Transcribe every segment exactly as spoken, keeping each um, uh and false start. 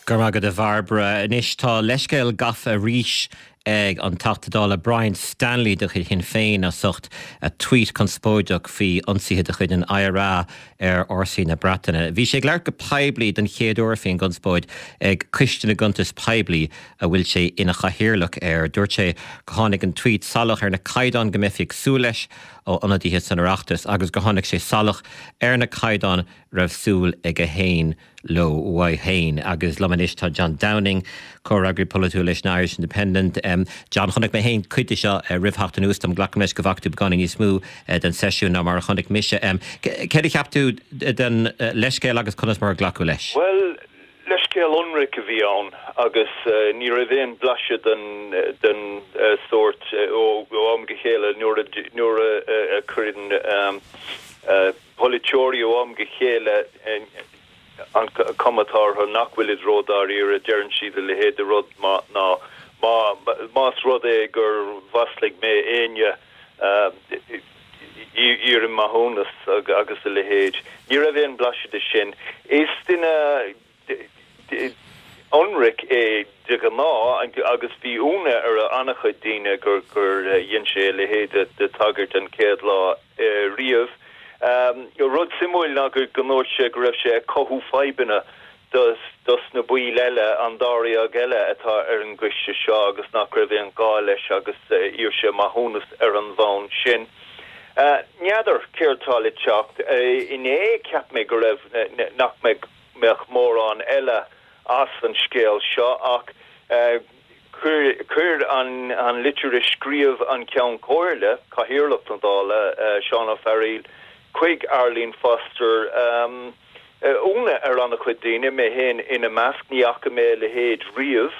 Go raibh maith agat a Bhairbre anois tá leithscéal gafa arís ag an Teachta Dála Brian Stanley de chuid Shinn Féin as ucht a tweet conspóideach faoi ionsaithe de chuid an IRA ar fhórsaí na Breataine. Bhí sé ag labhairt go poiblí den chéad uair faoin gconspóid ag Coiste na gCuntas Poiblí a bhfuil sé ina chathaoirleach air. Dúirt sé go tháinig an tweet salach ar na caighdeáin go mbeifí ag súil leis ó ionadaithe san Oireachtas agus go tháinig sé salach ar na caighdeáin raibh súil aige féin leo uaidh féin agus liom anois tá John Downing comhfhreagraí polaitiúil leis an Irish Independent. Um, John chonaic mé féin cuid de seo uh, roimh theacht anuas dom glacaim leis go bhfaca tú beagáinín níos mó uh, den seisiún ná mar a chonaic mise. Um, Céard a cheap tú den uh, leithscéal agus conas mar a glacadh leis? Well, leithscéal ionraic a bhí ann agus uh, ní raibh aon blaiseadh den den uh, sórt uh, ó am go chéile nuair nuair a chuireann um, uh, polaiteoirí ó am go chéile an cuma orthu nach bhfuil siad ródháiríre deireann siad a leithéid de rud má ná más rud é gur mhaslaigh mé éinne iarraim maithiúnas agus a leithéid. Ní raibh aon blaiseadh de sin. Is duine ionraic é de ghnáth agus bhí ionadh ar an-chuid daoine gur gur dhein sé a leithéid de tagairt an chéad lá riamh. Um, rud suimiúil ná gur ndúirt sé go raibh sé cothú fadhbanna dos, dos na baill eile an dáréag eile atá ar an gcoiste seo agus nach raibh aon ghá leis agus uh, d'iarr sé maithiúnas ar an bhonn sin. Uh, N'fheadar céard atá le teacht uh, inné cheap mé go raibh nach mbeadh mórán eile as an scéal seo ach uh, chuir an, an litir a scríobh an Ceann Comhairle Cathaoirleach na Dála uh, Seán Ó Fearghaíl chuig Arlene Foster um, ionadh ar an-chuid daoine mé féin ina measc ní fhaca mé a leithéid riamh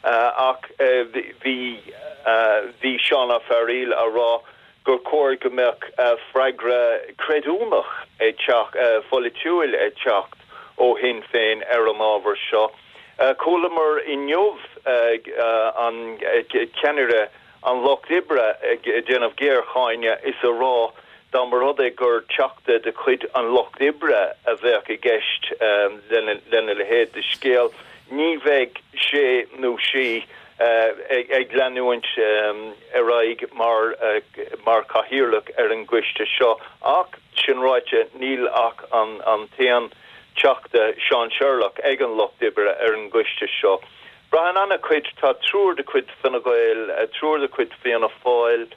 uh, ach uh, bhí uh, bhí Seán Ó Fearghaíl á rá gur chóir go mbeadh uh, freagra creidiúnach ag teacht uh, pholaitiúil ag teacht ó Shinn Féin ar an ábhar seo. Uh, Chualamar inniu uh, uh, an uh, ceannaire an Lucht Oibre ag déanamh géarcháineadh is a rá dá mba rud é gur teachta de chuid an Lucht Oibre a bheadh i gceist um, lena, lena leithéid de scéal. Ní bheadh sé nó sí uh, ag, ag leanúint um, ar aghaidh mar uh, mar cathaoirleach ar an gcoiste seo ach sin ráite níl ach an, an t-aon teachta Sean Sherlock ag an Lucht Oibre ar an gcoiste seo. Braitheann an-chuid tá triúr de chuid Fine Gael, triúr de chuid Fianna Fáil,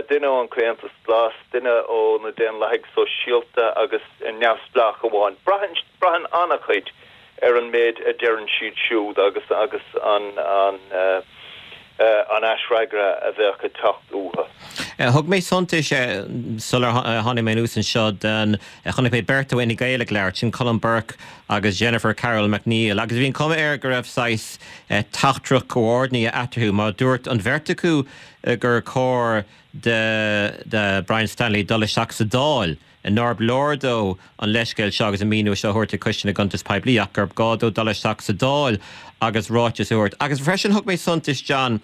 duine ón Comhaontas Glas, duine ó na Daonlathaigh Sóisialta agus neamhspleách amháin. Braitheann an-chuid ar an méid a deireann siad siúd agus agus an an uh, uh, an aisfhreagra a bheadh ag teacht uathu. Thug mé suntas sular tháinig mé anuas anseo den chonaic mé beirt ó Fhine Gael ag labhairt sin Colm Burke agus Jennifer Carroll MacNeill agus bhí an cuma air go raibh saghas teachtaireacht comhordnaithe eatarthu má dúirt an bheirt acu gur chóir de, de Brian Stanley dul isteach sa Dáil. Nár leor dó an leithscéal seo agus an míniú seo a thabhairt ag Coiste na gCuntas Poiblí ach gur gá dó dul isteach sa Dáil agus ráiteas a thabhairt. Agus freisin thug mé suntas John,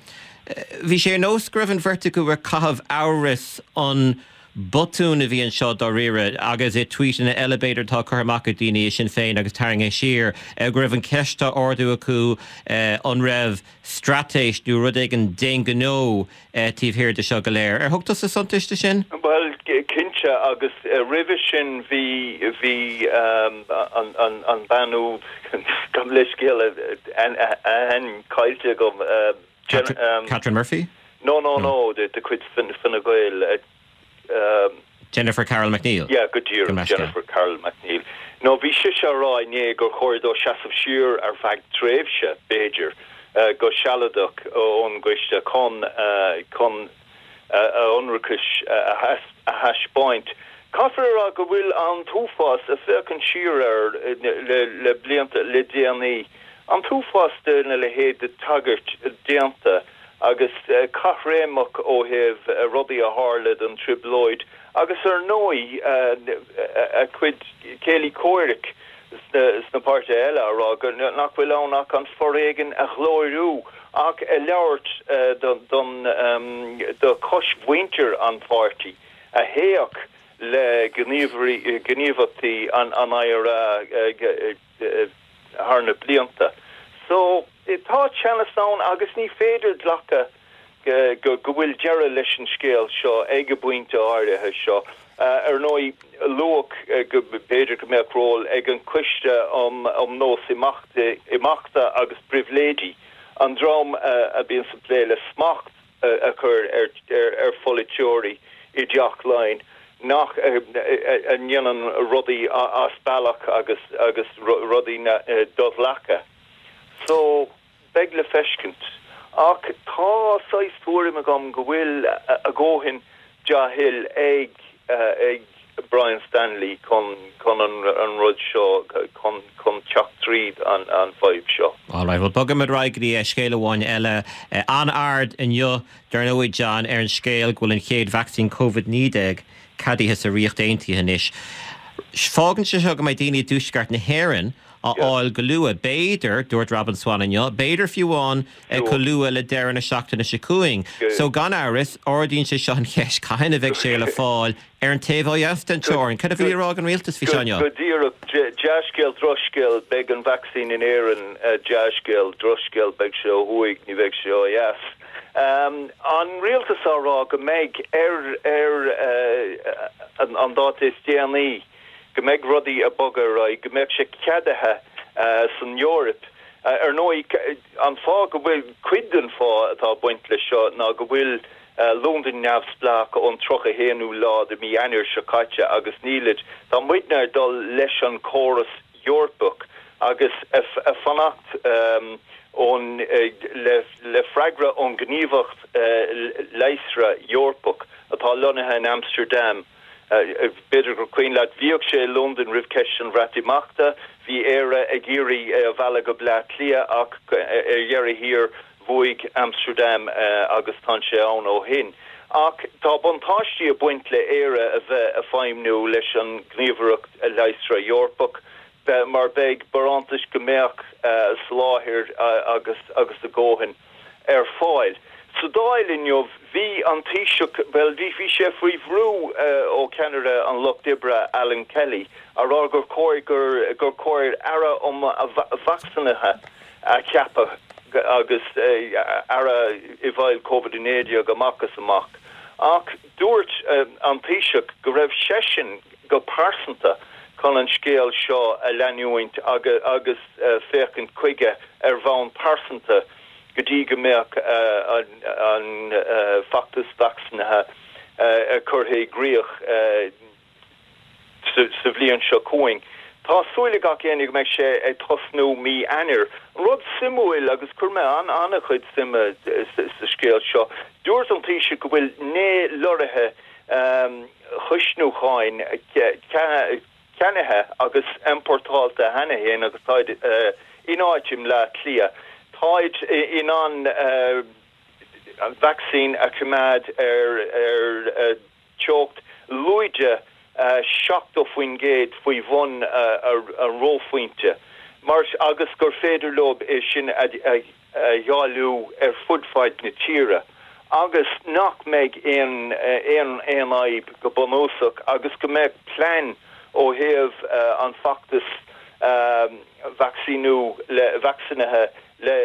bhí sé ar nós go raibh an bheirt acu ag caitheamh amhras an botún a bhí anseo dáiríre agus é tweet ina eile b'fhéidir tá curtha amach ag daoine i Sinn Féin agus tarraingthe siar go raibh an cheist á ardú acu an raibh straitéis nó rud éigin d'aon ghnó taobh thiar de seo go léir. Ar thug tusa suntas de sin? Well cinnte agus roimhe sin bhí bhí um, an, an, an bhean úd gabh mo leithscéal an caillte agam uh, Jen, um, Catherine Murphy? No no no de de chuid Fine Gael um, Jennifer Carroll MacNeill. Yeah, go díreach Jennifer Carroll MacNeill. No bhí sí ag rá inné gur chóir dó seasamh siar ar feadh tréimhse b'fhéidir uh, go sealadach ón gcoiste chun uh, chun uh, a ionracas uh, a thaispeáint. Caithfear rá go bhfuil an t-uafás ag féachaint siar ar le, le blianta le déanaí. An t-uafás de na leithéid de tagairt déanta agus uh, caithréimeach ó thaobh uh, rudaí a tharla don trioblóid agus ar ndóigh uh, a cuid céilí comhraic sna, sna páirtithe eile a rá go nach bhfuil ann ach an foréigean a ghlóiriú ach a labhairt uh, don, don um, do chosmhuintir an pháirtí a théadh le gníomhaíochtaí an an IRA uh, uh, thar na blianta. So tá teannas ann agus ní féidir glacadh go go bhfuil deireadh leis an scéal seo ag an bpointe áirithe seo. Ar ndóigh luadh go b'fhéidir go mbeadh ról ag an Coiste um um Nós Imeachta agus Pribhléidí, an dream a bhíonn ag plé le smacht a chur ar ar pholaiteoirí i dTeach Laighean nach a ndéanann rudaí as bealach agus agus rudaí do-ghlactha. So beidh le feiscint. Ach tá saghas tuairim agam go bhfuil a dhóthain dea-thoil ag ag Brian Stanley chun chun an an rud seo chun chun teacht tríd an an fhadhb seo. All right, well bogaimid ar aghaidh go dtí scéal amháin eile an-aird inniu dar ndóigh John ar an scéal go bhfuil an chéad vacsaín Covid naoi déag ceadaithe sa Ríocht Aontaithe anois. Fágann sé seo go mbeidh daoine i dtuaisceart na hÉireann á fháil go luath. B'fhéidir, dúirt Robin Swann inniu, b'fhéidir fiú amháin chomh luath le deireadh na seachtaine seo chugainn. So gan amhras, ardaíonn sé seo an cheist cathain a bheidh sé le fáil ar an taobh ó dheas den teorainn. Cad a bhí á rá ag an rialtas faoi seo inniu? Go díreach, dea-scéal, drochscéal, beidh an vacsaín in Éirinn, dea-scéal, drochscéal, beidh sé ó thuaidh, ní bheidh sé ó dheas. An rialtas á rá go mbeidh ar ar an dáta is déanaí go mbeidh rudaí ag bogadh ar aghaidh, go mbeidh sé ceadaithe san Eoraip. Ar ndóigh, an fáth go bhfuil, cuid den fáth atá ag baint leis seo ná go bhfuil Londain neamhspleách ón tríocha haonú lá de mhí Eanáir seo caite agus nílid, tá muidne ag dul leis an córas Eorpach agus ag fanacht ón le freagra ón Gníomhaireacht Leigheasra Eorpach atá lonnaithe in Amsterdam. B'fhéidir gur cuimhin leat, bhíodh sé i Londain roimh cheist an Bhreatimeachta, bhí Éire ag iarraidh é a mhealladh go Bleá Cliath ach ar dheireadh thiar bhuaigh Amsterdam agus tá sé ann ó shin. Ach tá buntáistí ag baint le Éire a bheith ag feidhmniú leis an nGníomhaireacht Leigheasra Eorpach mar beidh barántais go mbeadh soláthar agus agus a dhóthain ar fáil. Sa Dáil inniu, bhí an Taoiseach, bhuel, bhí bhí sé faoi bhrú ó cheannaire an Lucht Oibre, Alan Kelly, a rá gur chóir gur gur chóir aire um vacsaínithe a cheapadh agus aire i bhfeighil Covid a naoi déag amach is amach. Ach dúirt an Taoiseach go raibh seisean go pearsanta chun an scéal seo a leanúint agus féachaint chuige ar bhonn pearsanta go dtí go mbeadh an feachtas vacsaínithe curtha i gcrích sa bhliain seo chugainn. Tá súil ag gach éinne go mbeidh sé ag tosnú mí Eanáir. Rud suimiúil, agus chuir mé an-chuid suime sa scéal seo, dúirt an Taoiseach go bhfuil naoi lorraithe chuisniúcháin ceannaithe agus iompórtáilte cheana féin agus táid in áit i mBleá Cliath. Táid in ann an vacsaín a choimeád ar ar teocht lúide seachtó faoin gcéad faoi bhun an reophointe mar agus gur féidir leo é sin a dháileadh ar fud fad na tíre agus nach mbeidh aon aon aon fhadhb go bunúsach agus go mbeidh plean ó thaobh an feachtas vacsaíniú le vacsaínithe le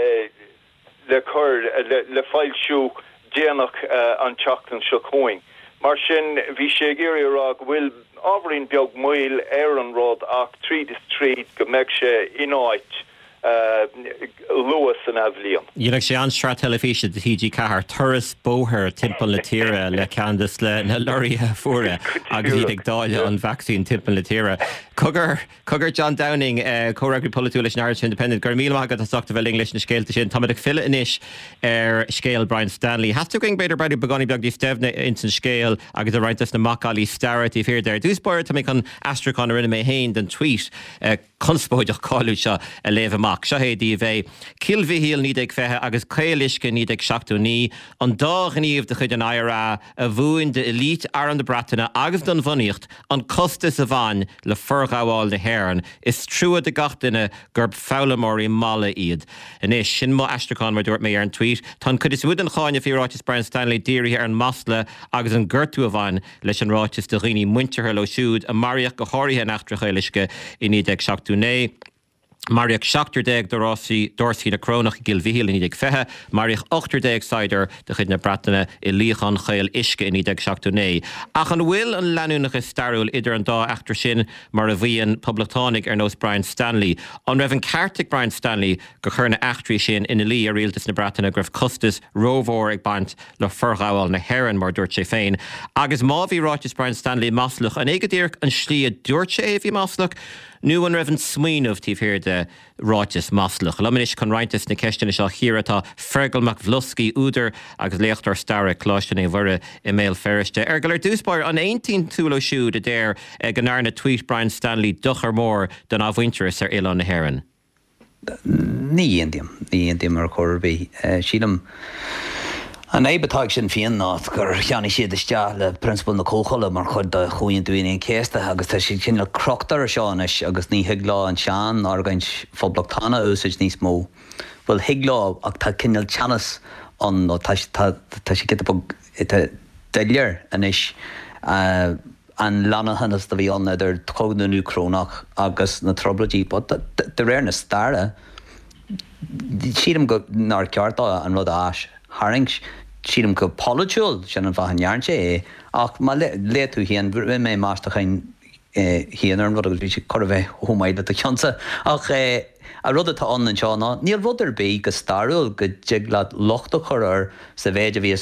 le cur le foilsiú déanach an tseachtain seo chugainn. Mar sin, bhí sé ag iarraidh a rá go bhfuil ábhairín beag moill ar an rud ach tríd is tríd go mbeidh sé in áit luath san athbhliain. Dhéanfadh sé an-sraith teilifíse do T G ceathair, turas bóthair timpeall na tíre le ceann de na lorraithe fuara agus iad ag dáileadh an vacsaín timpeall na tíre. Cogar, cogar John Downing, comhfhreagraí polaitiúil leis an Irish Independent, go raibh míle maith agat as ucht a bheith linn leis na scéalta sin. Táimid ag filleadh anois ar scéal Brian Stanley. Theastaigh uainn b'fhéidir breathnú beagáinín beag níos doimhne ins an scéal agus i roinnt des na macallaí staire taobh thiar de. Ar dtús báire tá mé chun aistriúchán a rinne mé féin den tweet conspóideach cáiliúil seo a léamh amach. Seo é daoibh é. Cill Mhichíl naoi déag fiche agus Caol Uisce naoi déag seachtó naoi, an dá ghníomh de chuid an I R A a mhúin d'élite Arm na Breataine agus don bhunaíocht an costas a bhain le forghabháil na hÉireann. Is trua do gach duine gurb foghlaimeoirí malla iad. Anois, sin mo aistriúchán, mar dúirt mé, ar an tweet. Tá an chuid is mó den cháineadh faoi ráiteas Brian Stanley dírithe ar an masla agus an gortú a bhain leis an ráiteas do dhaoine muinteartha leo siúd a maraíodh go háirithe in eachtra Chaol Uisce i naoi déag seachtó naoi. Maraíodh seachtar déag d'fhórsaí na Corónach i gCill Mhichíl i naoi déag fiche, maraíodh ochtar déag saighdiúir de chuid na Breataine i luíochán Chaol Uisce i naoi déag seachtó naoi. Ach an bhfuil an leanúnachas stairiúil idir an dá eachtra sin mar a mhaíonn poblachtánaigh ar nós Brian Stanley? An raibh an ceart ag Brian Stanley gur chuir na heachtraí sin ina luí ar rialtas na Breataine go raibh costas rómhór ag baint le forghabháil na hÉireann, mar a dúirt sé féin? Agus má bhí ráiteas Brian Stanley maslach, an é go díreach an slí a dúirt sé é a bhí maslach? Nó an raibh an smaoineamh taobh thiar de ráiteas maslach? Liom anois chun roinnt des na ceisteanna seo a chíoradh tá Fergal Mac Bhloscaidh, údar agus léachtóir staire ag Coláiste Naomh Mhuire i mBéal Feirste. Fheargail, ar dtús báire, an aontaíonn tú leo siúd a deir go ndearna tweet Brian Stanley dochar mór don athmhuintearas ar oileán na hÉireann? Ní aontaím, ní aontaím ar chor ar bith. Sílim an fhadhb atá ag Sinn Féin ná gur cheannaigh siad isteach le prionsabal na comhthola mar chuid de Chomhaontú Aoine an Chéasta agus tá siad cineál crochta air seo anois agus ní thig leo an sean-argóint phoblachtánach a úsáid níos mó. Bhuel, thig leo ach tá cineál teannas ann nó tá tá sé giota beag doiléir anois an leanúnachas a bhí ann idir Cogadh na nDúchrónach agus na Trioblóidí. But de réir na staire, sílim go nár cheart dó an rud a aistharraingt. Sílim go polaitiúil, sin an fáth a ndearna sé é. Ach má léigh tú féin, rinne mé meastachán féin ar an rud agus bhí sé chóir a bheith chomh maith le do cheannsa. Ach an rud atá ann anseo ná níl rud ar bith go stairiúil go dtig leat locht a chur air sa mhéid a bhí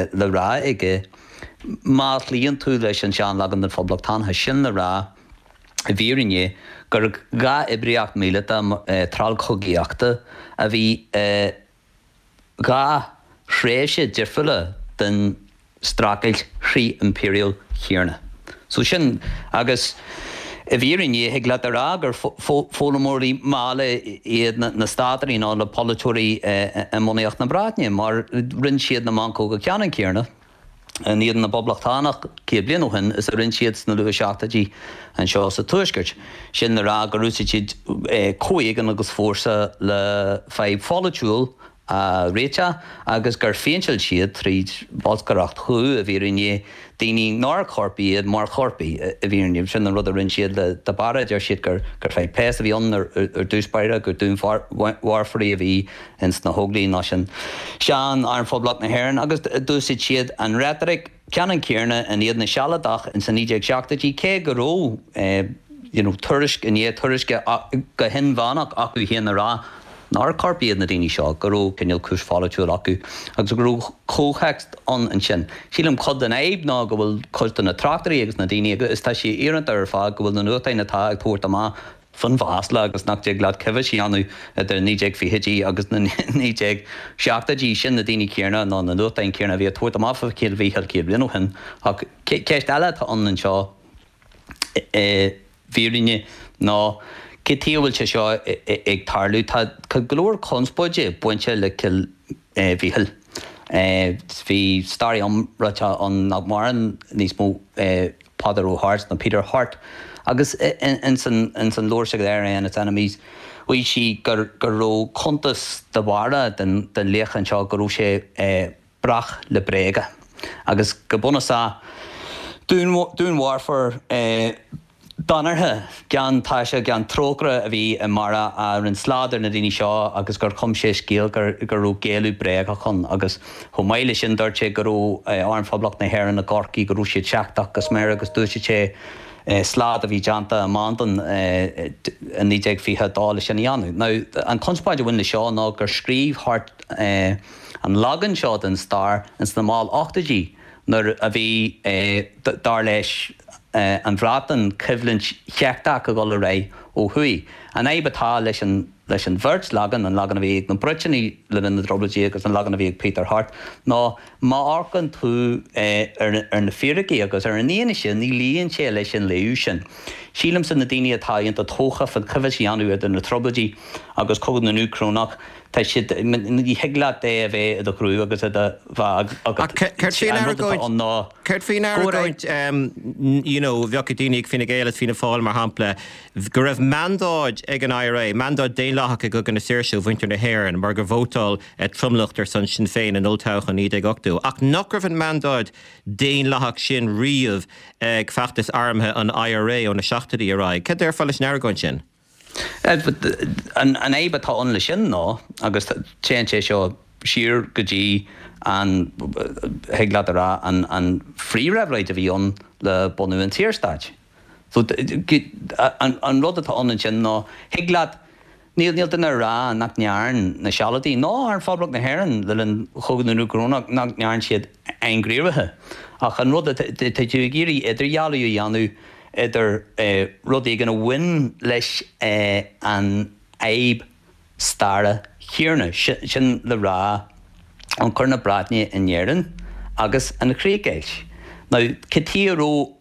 le rá aige má chloíonn tú leis an seanleagan den phoblachtánachas. Sin le rá, i bhfírinne, gur dhá oibríocht mhíleata treallchogaíochta a bhí i dhá thréimhse difriúla den streachailt fhrith-impiriúil chéanna. So sin, agus i bhfírinne, thig leat a rá gur foghlaimeoirí malla iad na státairí nó na polaiteoirí i mbunaíocht na Breataine, mar rinne siad na meancóga ceannann céanna in éadan na bPoblachtánach céad bliain ó shin is a rinne siad sna luath-seachtóidí anseo sa Tuaisceart. Sin le rá gur úsáid siad comhéigean agus fórsa le fadhb pholaitiúil a réiteach agus gur phéinteáil siad tríd bholscaireacht dhubh, i bhfírinne, daoine nár choirpigh iad mar choirpigh, i bhfírinne. Sin an rud a rinne siad le de Barra, deir siad gur fadhb péas a bhí ann ar dtús báire, gur dúnmharfóirí a bhí ins na hÓglaigh nó sin sean-Arm Phoblacht na hÉireann agus d'úsáid siad an reitric ceannann céanna in éadan na Sealadach ins na naoi déag seachtóidí cé go raibh you know tuairisc i ndiaidh tuairisce go hinmheánach acu féin a rá nár choirpigh iad na daoine seo, go raibh cineál cúis pholaitiúil acu agus go raibh comhthéacs ann ansin. Sílim cuid den fhadhb ná go bhfuil cuid de na tráchtairí agus na daoine, agus tá sé íorónta ar fad go bhfuil na nuachtáin atá ag tabhairt amach fán mhasla agus nach dtig leat coibhéis a dhéanamh idir naoi déag fichidí agus na naoi déag seachtóidí, sin na daoine céanna nó na nuachtáin céanna a bhí ag tabhairt amach fá Chill Mhichíl céad bliain ó shin. Ach ceist eile atá ann anseo i bhfírinne ná cé taobh a bhfuil sé seo ag tarlú. Tá go leor conspóide bainte le Cill Mhichíl. Bhí staraí iomráiteach ann nach maireann níos mó, Peadar Ó hAirt nó Peter Hart, agus ins an leabhar s'aige The I R A and Its Enemies mhaígh sé go raibh cuntas de Bharra den luíochán seo go raibh sé breac le bréaga agus go bunúsach dúnmharfóir danartha, gan taise, gan trócaire a bhí i mBarra a rinne slad ar na daoine seo agus gur chum sé scéal go raibh géilleadh bréagach ann agus chomh maith leis sin dúirt sé go raibh Arm Phoblacht na hÉireann i gCorcaigh, go raibh siad seicteach go smior agus d'úsáid sé slad a bhí déanta i Mandan i naoi déag fiche a dó leis sin a dhéanamh. Now, an chonspóid a bhain le seo ná gur scríobh Hart an leagan seo den stair ins na mall ochtóidí nuair a bhí, dar leis an Bhreatain, coimhlint sheicteach ag dul ar aghaidh ó thuaidh. An fhadhb atá leis an leis an bheirt leagan, an leagan a bhí ag na Briotanaigh le linn na dTrioblóidí agus an leagan a bhí ag Peter Hart, ná má amharcann tú ar na fíricí agus ar an fhianaise, ní luíonn sé leis an léamh sin. Sílimse na daoine atá iontach tógtha fán choibhéis a dhéanamh idir na Trioblóidí agus Cogadh na nDúchrónach, tá siad, ní thig leat é a bheith i do chrú agus i do bheatha agat. Céard faoin An rud atá argóint, ann ná céard faoin go raibh. argóint, you know, bheadh ag daoine ag Fine Gael is Fianna Fáil, mar shampla, go raibh mandáid ag an I R A, mandáid daonlathach i gCogadh na Saoirse ó mhuintir na hÉireann mar gur vótáil tromlach ar son Sinn Féin in olltoghchán naoi déag ochtó, ach nach raibh an mandáid daonlathach sin riamh ag feachtas armtha an I R A ó na seachtóidí ar aghaidh. Cad déarfá leis an argóint sin? An fhadhb atá ann leis sin ná, agus téann sé seo siar go dtí an, thig leat a rá, an an phríomhréabhlóid a bhí ann le bunú an tSaorstáit. So an an rud atá ann ansin ná, thig leat, níl níl duine ag rá nach ndearn na Sealadaigh ná Arm Phoblacht na hÉireann le linn Chogadh na nDúchrónach nach ndearn siad ainghníomhartha. Ach an rud atá, tá tú ag iarraidh idirdhealú a dhéanamh idir rud éigin a bhain leis an fhadhb staire chéanna, sin le rá ionchur na Breataine in Éirinn agus an chríochdheighilt. Now, cad chuige a raibh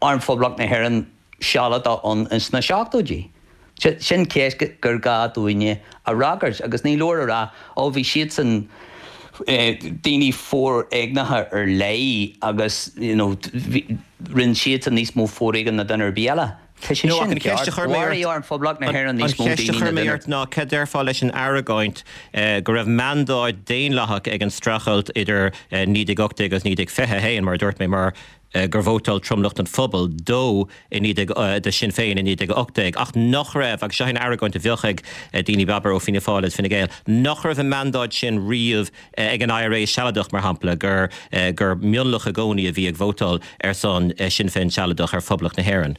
Arm Phoblacht na hÉireann sealadach ann ins na seachtóidí? Sin ceist gur gá dúinne a fhreagairt agus ní leor a rá, ó bhí siadsan daoine foréigneacha ar leith agus you know rinne siadsan níos mó foréigin ná duine ar bith eile. Tá sé No, ach sin an cheist a ceart. chuir mé Mharaigh ort, Arm Phoblacht na an hÉireann an níos mó cheist a daoine chuir ná mé duine. ort ná cad déarfá leis an argóint go raibh mandáid daonlathach ag an streachailt idir naoi déag ocht déag agus naoi déag fiche a haon, mar a dúirt mé, mar gur vótáil tromlach den phobal dó i naoi déag, do Sinn Féin i naoi déag ocht déag, ach nach raibh, agus seo an argóint a bheadh ag daoine abair ó Fianna Fáil agus Fine Gael, nach raibh an mandáid sin riamh ag an I R A Sealadach, mar shampla, gur gur mionlach i gcónaí a bhí ag vótáil ar son Sinn Féin Sealadach ar Phoblacht na hÉireann,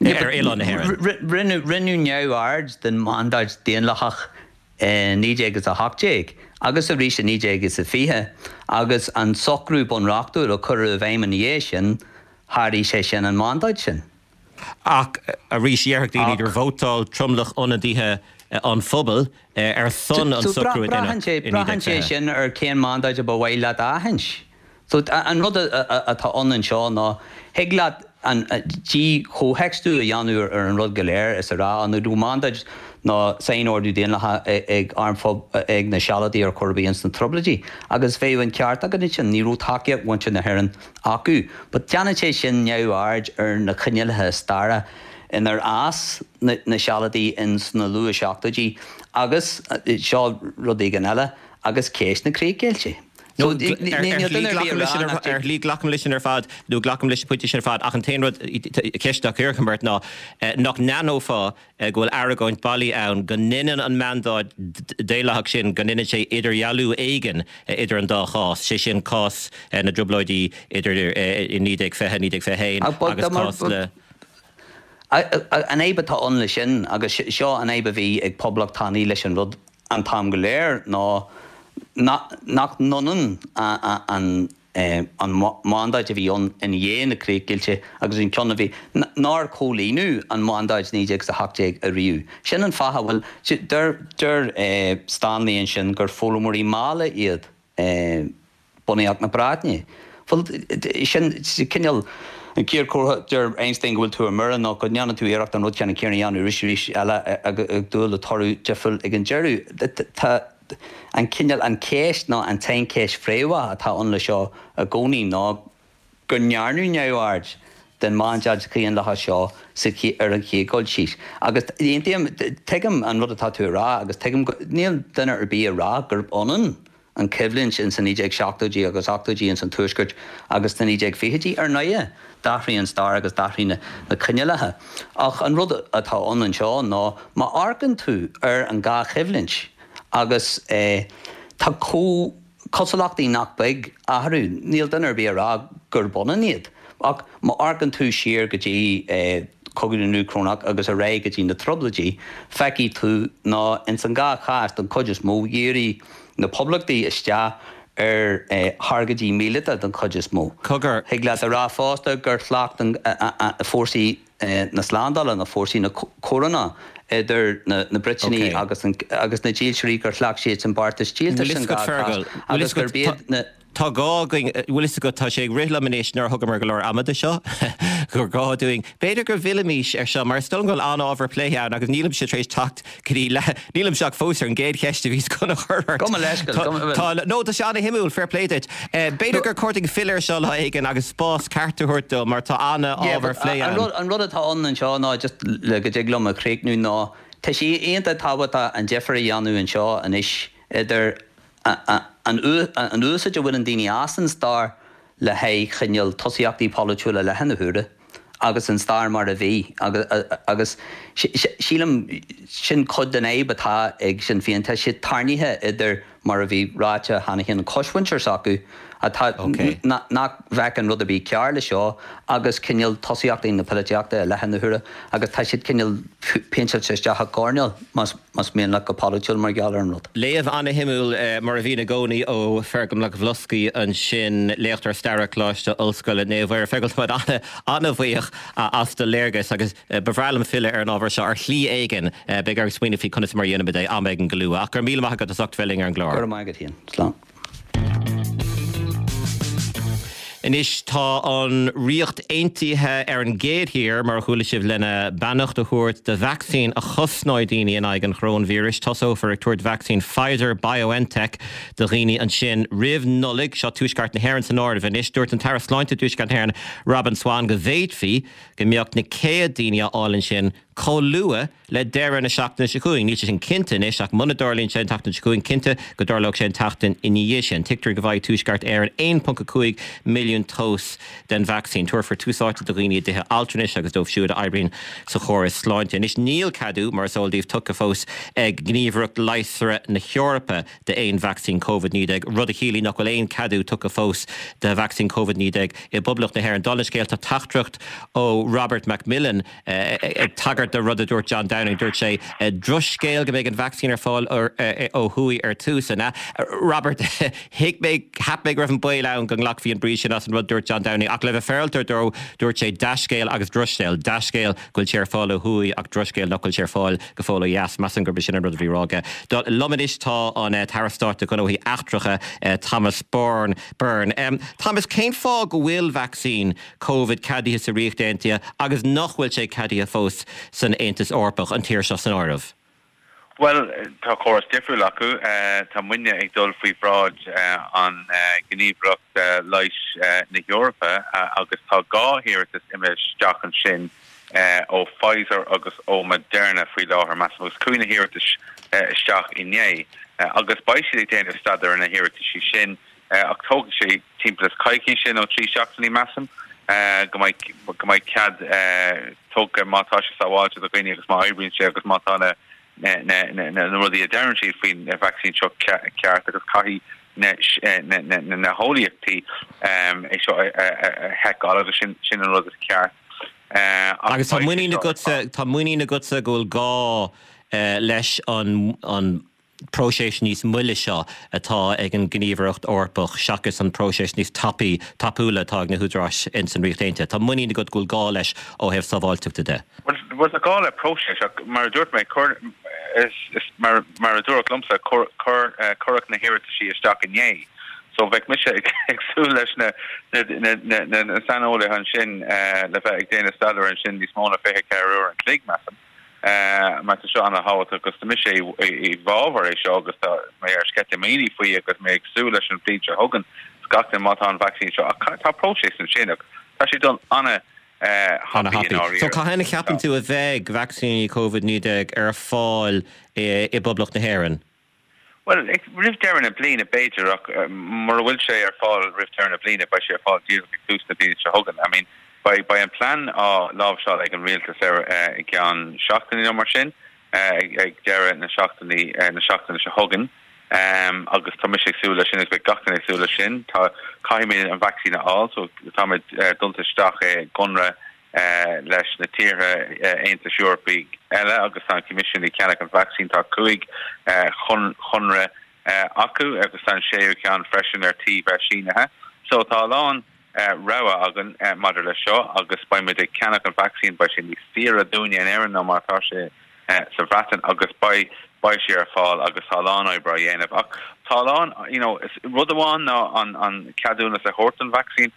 ar oileán na hÉireann. Rinneadh neamhaird den mandáid daonlathach i naoi déag is a hocht déag agus arís i naoi déag is a fiche agus an socrú bunreachtúil a cuireadh i bhfeidhm ina dhiaidh sin, sháraigh sé sin an mandáid sin. Ach arís, déarfadh daoine gur vótáil tromlach ionadaithe an phobail ar son an socrú a deineadh i naoi déag Braitheann sé fiche. sin ar cén mandáid a ba mhaith leat a aithint. So an rud atá ann anseo ná, thig leat an dí-chomhthéacsú a dhéanamh ar an rud go léir is a rá an raibh mandáid ná sainordú daonlathach ag arm ag na Sealadaigh ar chor ar bith ins na Trioblóidí agus bheadh an ceart agat ansin, ní raibh tacaíocht mhuintir na hÉireann acu. But déanann sé sin neamhaird ar na coinníollacha staire inar fhás na Sealadaigh ins na luath-seachtóidí agus, seo rud éigin eile, agus ceist na críochdheighilte. Ar shlí glacaim leis sin ar fad, nó glacaim leis an bpointe sin ar fad, ach an t-aon rud, ceist a chuirfinn ort ná nach n-aithneofá go bhfuil argóint bailí ann go ndeineann an mandáid daonlathach sin, go ndeineann sé idirdhealú éigin idir an dá chás, sé sin cás na dTrioblóidí idir i naoi déag fiche, naoi déag fiche haon agus cás na. An fhadhb atá ann leis sin, agus seo an fhadhb a bhí ag poblachtánaigh leis an rud an t-am go léir, ná nach n-ionann an an mandáid a bhí ann i ndiaidh na críochdheighilte agus an ceann a bhí, nár comhlíonadh an mandáid naoi déag is a hocht déag ariamh. Sin an fáth a bhfuil, deir deir Stanley ansin gur foghlaimeoirí malla iad bunaíocht na Breataine. Bhuel, sin cineál an chéad chomhartha, deir Einstein, go bhfuil tú ar mire ná go ndéanann tú iarracht an rud ceannann céanna a dhéanamh arís arís eile ag dúil le toradh difriúil ag an deireadh. Tá an cineál, an cheist ná an tsaincheist phríomha atá ann leis seo i gcónaí ná go ndearnadh neamhaird den mandáid dhaonlathach seo sa ar an chéad dul síos. Agus aontaím, tuigim an rud atá tú a rá agus tuigim go, níl duine ar bith ag rá gurb ionann an choimhlint ins na naoi déag seachtóidí agus ochtóidí ins an Tuaisceart agus sna naoi déag fichidí. Ar ndóighe, d'athraigh an stair agus d'athraigh na na coinníollacha. Ach an rud atá ann anseo ná má amharcann tú ar an dhá choimhlint agus tá cosúlachtaí nach beag eatarthu, níl duine ar bith ag rá gurb ionann iad, ach má amharcann tú siar go dtí Cogadh na nDúchrónach agus ar aghaidh go dtí na Trioblóidí, feicfidh tú ná ins an dhá chás, don chuid is mó, dhírigh na poblachtaigh isteach ar thargaidí míleata don chuid is mó. Cogar. Thig leat a rá fosta gur chleacht fórsaí na slándála, nó fórsaí na córanna idir na Briotanaigh agus agus na dílseoirí, gur chleacht siadsan beartas díoltais Bhfuil san fhios agat, dhá chás Fergal, bhfuil agus fhios gurb agat, iad na. Tá gá againn, bhfuil fhios agat, tá sé ag rith liom anois nár thugamar go leor ama do seo, gur gá dúinn, b'fhéidir go bhfillfimis ar seo mar is dóigh liom go bhfuil an-ábhar plé ann agus nílimse tar éis teacht go dtí leath, nílimse ach fós ar an gcéad cheist a bhíos chun a chur ort. Gabh mo leithscéal, Tá, gabh mo, tá, no, tá sé an-shuimiúil, fair play duit. B'fhéidir gur chóir dúinn filleadh ar seo lá éigin agus spás ceart a thabhairt dó mar tá Yeah, an-ábhar but plé an ann. rud, an rud atá ann anseo ná just le go dtig liom a chríochnú ná tá sé iontach tábhachtach an difear a dhéanamh anseo anois idir an úsáid a bhaineann daoine as an stair le haghaidh cineál tosaíochtaí polaitiúla i láthair na huaire agus an stair mar a bhí agus sílim sin cuid den fhadhb atá ag Sinn Féin tá siad tarraingthe idir mar a bhí ráite cheana féin an cosmhuintir s'acu atá nach bhfeiceann rud ar bith cearr le seo agus cineál tosaíochtaí na polaitíochta i leith na huaire agus tá siad cineál péinteáilte isteach i gcoirnéal más más mian leat go polaitiúil mar gheall ar an rud. Léamh an-shuimiúil mar a bhíonn i gcónaí ó Fergal Mac Bhloscaidh ansin, léachtóir staire Coláiste Ollscoile Naomh Mhuire. Fergal, tá muid an-bhuíoch as do léargas agus ba bhreá liom filleadh ar an ábhar seo ar shlí éigin. Beidh orm smaoineamh faoi conas mar a dhéanfaimid é am éigin go luath. Ach go raibh míle maith agat as ucht bheith linn ar an gclár. Go raibh maith agat féin. Slán. Anois tá an Ríocht Aontaithe ar an gcéad thír, mar a chuala sibh, lena beannacht a thabhairt do vacsaín a chosnóidh daoine in aghaidh an choróinvíris. Tosófar ag tabhairt vacsaín Pfizer-BioNTech do dhaoine ansin roimh Nollaig, seo Tuaisceart na hÉireann san áireamh anois. Dúirt an tAire Sláinte i dTuaisceart na hÉireann, Robin Swann, go bhféadfaí go mbeadh na céad daoine á fháil ansin chomh luath le deireadh na seachtaine seo chugainn. Níl sé sin cinnte anois ach muna dtarlaíonn sé an tseachtain seo chugainn, cinnte go dtarlódh sé an tseachtain ina dhiaidh sin. Tuigtear go bhfaighidh Tuaisceart Éireann aon ponc a cúig milliún dós den vacsaín. Tabharfar tús áite do dhaoine i dtithe altranais agus dóibh siúd a oibríonn sa chóras sláinte. Anois níl ceadú, mar is eol daoibh, tugtha fós ag Gníomhaireacht Leigheasra na hEorpa d'aon vacsaín Covid naoi déag, rud a chiallaíonn nach bhfuil aon ceadú tugtha fós do vacsaín Covid naoi déag i bPoblacht na hÉireann. Dála an scéil, tá teachtaireacht ó Robert McMillen ag tagairt do rud a dúirt John Downing. Dúirt sé, Drochscéal go mbeidh an vacsaín ar fáil ó thuaidh ar tús, an ea? Robert, Thuig mé, cheap mé go raibh an baol ann go nglacfaí an brí sin as an rud a dúirt John Downing ach le bheith féaráilte dó, dúirt sé dea-scéal agus drochscéal. Dea-scéal go bhfuil sé ar fáil ó thuaidh ach drochscéal nach bhfuil sé ar fáil go fóill ó dheas. Measaim gurb é sin an rud a bhí á rá aige. Liom anois tá an tAire Stáit do Ghnóthaí Eachtracha, Thomas Byrne. Thomas, cén fáth go bhfuil vacsaín Covid ceadaithe sa Ríocht Aontaithe agus nach bhfuil sé ceadaithe fós san Aontas Eorpach, an tír seo san áireamh? Bhuel, tá córas difriúil acu. Tá muidne ag dul faoi bhráid an Ghníomhaireacht Leighis na hEorpa agus tá dhá hiarratas imithe isteach ansin ó Pfizer agus ó Moderna faoi láthair, measaim, agus chuaigh na hiarratais isteach inné agus beidh siad ag déanamh staidéar ar na hiarrataisí sin ach tógfaidh sé timpeall is coicíse nó trí seachtainí, measaim, go mbeidh go mbeidh cead tugtha má tá sé sábháilte do dhaoine agus má oibríonn sé agus má tá na na na rudaí a deireann siad faoin vacsaín seo ceart agus caithfidh na na na heolaíochtaí é seo a sheiceáil agus sin sin an rud is ceart. Agus tá muinín agatsa tá muinín agatsa go bhfuil gá leis an an próiseas níos moille seo atá ag an nGníomhaireacht Eorpach seachas an próiseas níos tapaí, tapúla atá ag na húdaráis ins an Ríocht Aontaithe. Tá muinín agat go bhfuil gá leis ó thaobh sábháilteachta de. Bhuel, tá gá le próiseas ach mar a dúirt mé, cuir, is, is, mar, mar a dúradh liomsa, cuir, cuir, cuireadh na hiarrataisí isteach inné. So bheadh mise ag, ag súil leis na, na, na, na, na, na saineolaithe ansin le bheith ag déanamh staidéir ansin níos mó ná fiche ceathair uair an chloig, measaim. Mar tá seo ana-thábhachtach agus tá mise i bhfabhar é seo agus tá mé ar sceitimíní faoi agus mé ag súil leis an bhliain seo chugainn is gach duine má tá an vacsaín seo ach tá próiseas ansin ach tá sé dul ana-thapaidh i ndáiríre. So cathain a cheapann tú a bheidh vacsaíní Covid naoi déag ar fáil i bPoblacht na hÉireann? Bhuel, roimh deireadh na bliana b'fhéidir, ach mura bhfuil sé ar fáil roimh deireadh na bliana, beidh sé ar fáil díreach ag tús na bliana seo chugainn. I mean, beidh, beidh an plean á láimhseáil ag an rialtas ar i gceann seachtainí nó mar sin, ag, ag deireadh na seachtainí, na seachtaine seo chugainn. Agus tá mise ag súil leis sin agus beidh gach duine ag súil leis sin. Tá, caithfimid an vacsaín a fháil, so táimid dulta isteach i gconradh leis na tíortha Aontais Eorpaigh eile agus tá an Coimisiún ag ceannach an vacsaín. Tá cúig chonradh acu agus tá an séú ceann freisin ar tí bheith sínithe. So tá a lán rogha againn maidir leis seo agus beidh muid ag ceannach an vacsaín, beidh sé níos saoire dúinne in Éirinn ná mar atá sé sa Bhreatain agus beidh beidh sé ar fáil agus tá a lán oibre á dhéanamh. Ach tá a lán, you know, rud amháin ná an an ceadúnas a thabhairt don vacsaín,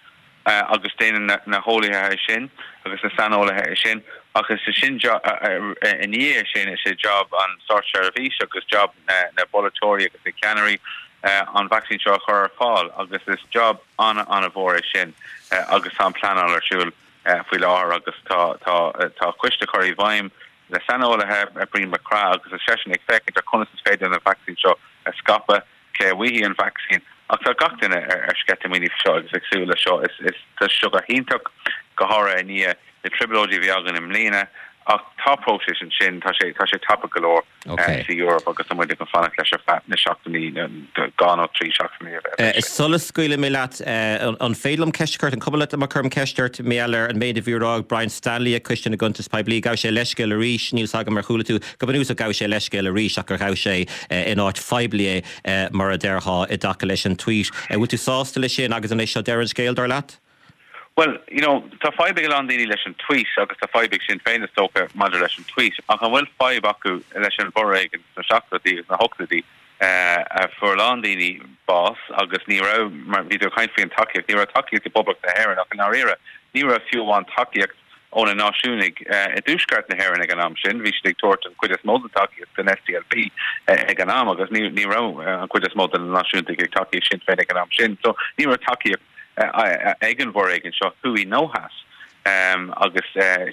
agus déanann na heolaithe é sin agus na saineolaithe é sin ach is é sin i ndiaidh sin is é job an státseirbhís agus job na bpolaiteoirí agus na ceannairí an vacsaín seo a chur ar fáil agus is job an-an-mhór é sin agus tá an pleanáil ar siúl faoi láthair agus tá tá tá coiste curtha i bhfeidhm le saineolaithe Brian MacCraith agus is seisean ag féachaint ar conas is féidir an vacsaín seo a scaipeadh. Cé a bhfaighidh an vacsaín? Ach tá gach duine ar sceitimíní faoi seo agus ag súil leis seo. Is tá seo go hiontach go háirithe i ndiaidh na trioblóidí a bhí againn i mbliana ach tá próiseas ansin tá sé tá sé tapa go leor sa Eoraip agus tá muid ag fanacht leis ar feadh na seachtainí dhá nó trí seachtainí a bheith. Sula scaoilfidh mé leat, an féidir liom ceist a chur, an cuma leat má chuirim ceist ort mar gheall ar an méid a bhí á rá ag Brian Stanley ag Coiste na gCuntas Poiblí, ghabh sé leithscéal arís, níl 's agam ar chuala tú, go bunúsach ghabh sé leithscéal arís ach gur ghabh sé in áit phoiblí é mar a déarfá i dtaca leis an tweet. Bhfuil tú sásta leis sin agus an é seo deireadh an scéil dar leat? Well, you know, tá fadhb ag a lán daoine leis an tweet agus tá fadhb ag Sinn Féin is dócha maidir leis an tweet, ach an bhfuil fadhb acu leis an bhforéigean sna seachtóidí agus na hochtóidí eh, a fuair a lán daoine bás agus ní raibh mar bhí tú ag caint faoin tacaíocht, ní raibh tacaíocht i bPoblacht na hÉireann ach i ndáiríre, ní raibh fiú amháin tacaíocht ó na náisiúnaigh eh, i dtuaisceart na hÉireann ag an am sin, bhí siad ag tabhairt an chuid is mó den tacaíocht don SDLP eh, ag an am agus ní ní raibh an chuid is mó de na náisiúntaigh ag tacú le Sinn Féin ag an am sin, so ní raibh tacaíocht ag an bhforéigean seo thuaidh nó theas. Um, agus uh,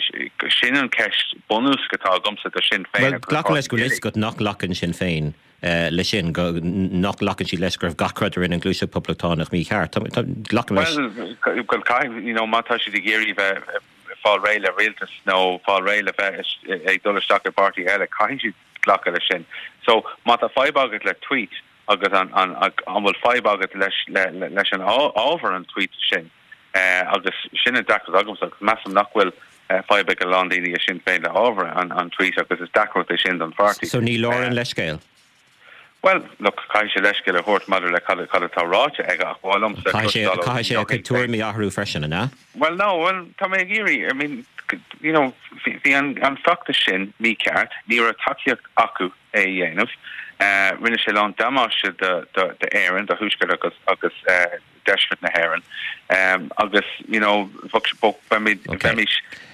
sin an ceist bunúsach atá agamsa do Sinn Féin. Well, glacaim leis go bhfuil a fhios agat nach nglacann Sinn Féin uh, leis sin go nach nglacann siad leis go raibh gach rud a rinne an Ghluaiseacht Poblachtánach mícheart. Glacaim leis. Well, well caithfidh, you know, má tá siad ag iarraidh bheith fáil réidh le rialtas nó fáil réidh le bheith ag dul isteach i bpáirtí eile, caithfidh siad glacadh leis sin. So má tá fadhb agat le tweet, agus an an an bhfuil fadhb agat leis le, le, leis an ábhar an tweet sin uh, agus sin an deacracht agamsa agus measaim nach bhfuil uh, fadhb ag a lán daoine i Sinn Féin le ábhar an, an tweet agus is deacracht é sin don pháirtí. So ní leor an leithscéal. Well, look, caithfidh sé leithscéal a thabhairt maidir le cad cad atá ráite aige ach bhfuil Caithfidh sé a chuid tuairimí a athrú freisin an ea? Well no, well tá mé ag iarraidh, I mean, you know, bhí an, an feachtas sin mícheart, ní raibh tacaíocht acu é a dhéanamh. Uh, rinne sé lán damáiste d'Éirinn, do Thuaisceart agus agus uh, deisceart na hÉireann. Um, agus you know, bheimis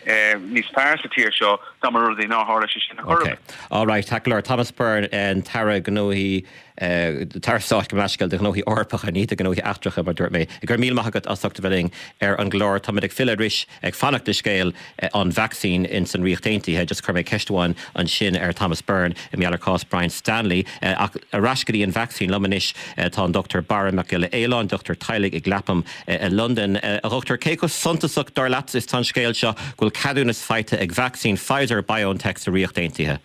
uh, níos fearr sa tír seo dá mba rud é nár tharla sé sin okay. All right, Tackler Thomas Byrne an tAire Gnóthaí tAire Stáit gabh mo leithscéal do ghnóthaí Eorpacha ní do ghnóthaí eachtracha mar dúirt mé. Go raibh míle maith agat as ucht a bheith linn ar an gclár táimid ag filleadh arís ag fanacht le scéal an vacsaín in san Ríocht Aontaithe, just chuir mé ceist amháin ansin ar Thomas Byrne i mar gheall ar cás Brian Stanley ach ar ais go dtí an vacsaín liom anois tá an Dr Barra Mac Giolla Éaláin, dochtúir teaghlaigh i gClapham i Londain. A dhochtúir cé chomh suntasach dar leat is atá an scéal seo go bhfuil ceadúnas faighte ag vacsaín Pfizer BioNTech sa Ríocht Aontaithe.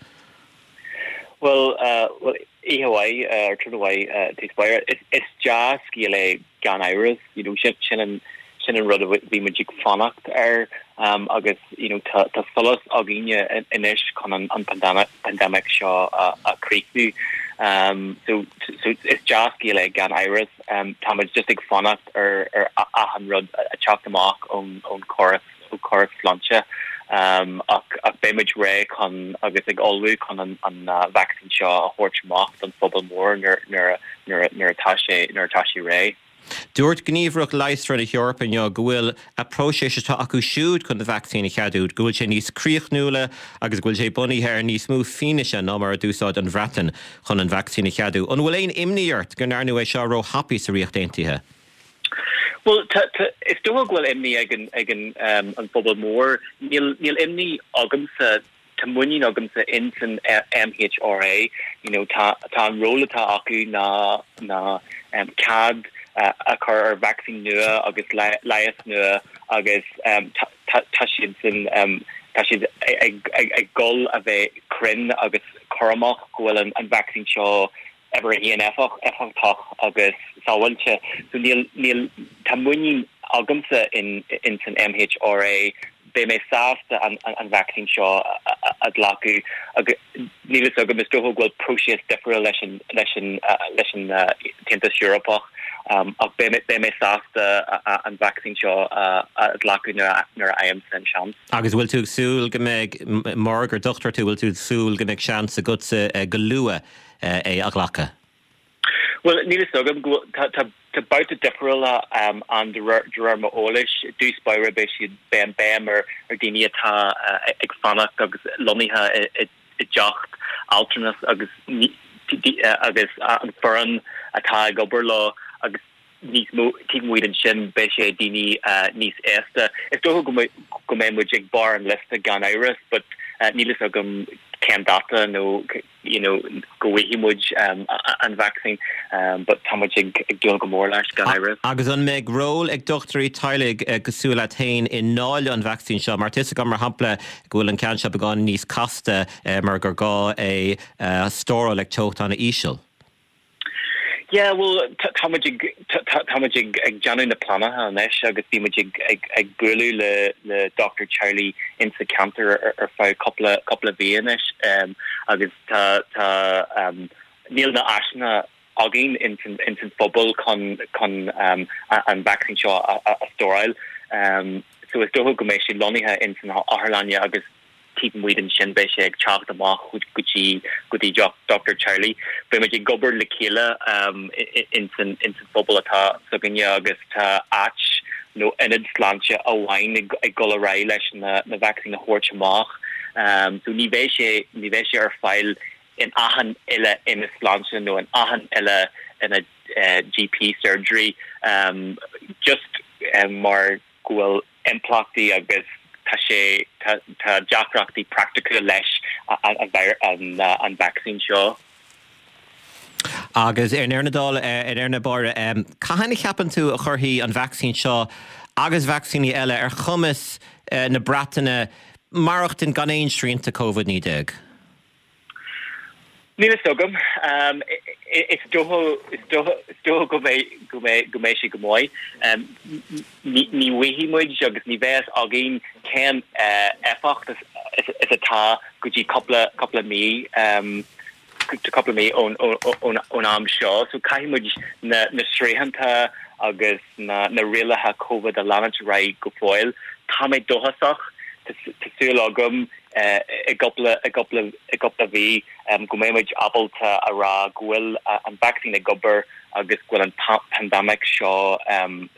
Well, uh, well oíche mhaith ar tráthnóna mhaith tús báire is is dea-scéal é gan amhras you know sin sin an sin an rud a bhí muid ag fanacht air um, agus you know tá tá solas againne anois chun an an pandemic pandemic seo a, a chríochnú um, so so is dea-scéal é gan amhras um, tá muid just ag fanacht ar ar achan rud a teacht amach ón ón chóras ó chóras sláinte um, ach ach beimid réidh chun agus ag ullmhú chun an an uh, vaccine seo a thabhairt amach don phobal mór nuair nuair nuair nuair atá sé nuair atá sé réidh. Dúirt Gníomhaireacht Leigheasra na hEorpa inniu go bhfuil a próiseas atá acu siúd chun na vacsaín a cheadú, go bhfuil sé níos críochnúla agus go bhfuil sé bunaithe ar níos mó fianaise ná mar a d'úsáid an Bhreatain chun an vacsaín a cheadú. An bhfuil aon imní ort go ndearnadh é seo róthapaidh sa Ríocht Aontaithe? Well is dócha go bhfuil imní ag an ag an um, an phobal mór níl níl imní agamsa tá muinín agamsa in san MHRA you know tá tá an ról atá acu ná ná um, cead uh, a chur ar vaccine nua agus leigheas nua agus um, tá siad sin um, tá siad ag, ag, ag gol a bheith cruinn agus cúramach go bhfuil an, an vaccine seo ever híon éifeacht éifeachtach agus sábháilte so níl níl tá muinín agamsa in in san MHRA beidh mé sásta an, an, an vaccine seo a ghlacadh agus níl a fhios agam is dócha go bhfuil próiseas difriúil leis an leis an uh, leis an uh, tAontas Eorpach um, ach beidh mé sásta an vaccine seo uh, a ghlacadh nuair a fhaighim an seans. Agus bhfuil tú ag súil go mbeidh mar gur dochtúir tú bhfuil tú ag súil go mbeidh seans agatsa go luath é a ghlacadh. Well níl a fhios agam tá tá babhta difriúla um, an de réir m'eolais i dtús báire beidh siad beidh béim ar ar daoine atá uh, ag fanacht agus lonnaithe i dteach altranais agus agus an foireann atá ag obair leo agus níos mó taobh amuigh den sin beidh sé daoine uh, níos aosta. Is dócha go mbeidh muid ag barr an liosta gan amhras, but uh, níl a fhios agam cén dáta nó you know go bhfaighidh muid um, an vaccine um, but tá muid ag ag dúil go mór leis gan amhras. Agus an mbeidh ról ag dochtúirí teaghlaigh eh, cosúil leat féin i ndáileadh an vacsaín seo, mar tá fhios agam mar shampla go bhfuil an ceann seo beagán níos casta eh, mar gur gá é eh, stóráil ag teocht an-íseal. Yeah, well tá muid ag tá muid ag ag déanamh na pleananna anois agus bhí muid ag ag ag bualadh le le Dr Charlie in sa ceantar ar, ar feadh cúpla cúpla mí anois um, agus tá tá um, níl na háiseanna againn in san in san phobal chun chun um, an vaccine seo a, a, a stóráil um, so is dócha go mbeidh sé lonnaithe in san otharlann agus taobh amuigh ansin beidh sé ag teacht amach go dtí go dtí Dr Charlie. Beidh muid ag obair le chéile um, in san in san phobal atá s'againne agus tá áit nó ionad sláinte amháin ag ag dul ar aghaidh leis na na vaccine a thabhairt amach. Um, so ní bheidh sé ní bheidh sé ar fáil in achan uile ionad sláinte nó in achan uile ina uh, GP surgery um, just um, mar go bhfuil impleachtaí agus tá sé tá deacrachtaí praiticiúla leis an, an vaccine seo. Agus ar ndeireadh na dála ar ndeireadh na báire cathain a cheapann tú a chuirfidh an vacsaín seo agus vacsaíní eile ar chumas na Breataine maireachtaint gan aon srianta Covid naoi déag. Níl fhios agam um, is dócha is dócha go mbeidh go mbeidh go mbeidh sé go maith. Um, ní bhfaighidh muid agus ní bheidh fhios againn cén uh, éifeacht is, is, is atá go dtí cúpla cúpla mí um, cúpla mí ón ón ón am seo, so caithfidh muid na, na srianta agus na, na rialacha COVID a leanúint ar aghaidh go fóill. Tá mé dóchasach tá súil agam uh, i gcúpla i gcúpla i gcúpla mí um, go mbeidh ábalta a rá go bhfuil uh, an vaccine ag obair agus go bhfuil an pandemic seo um,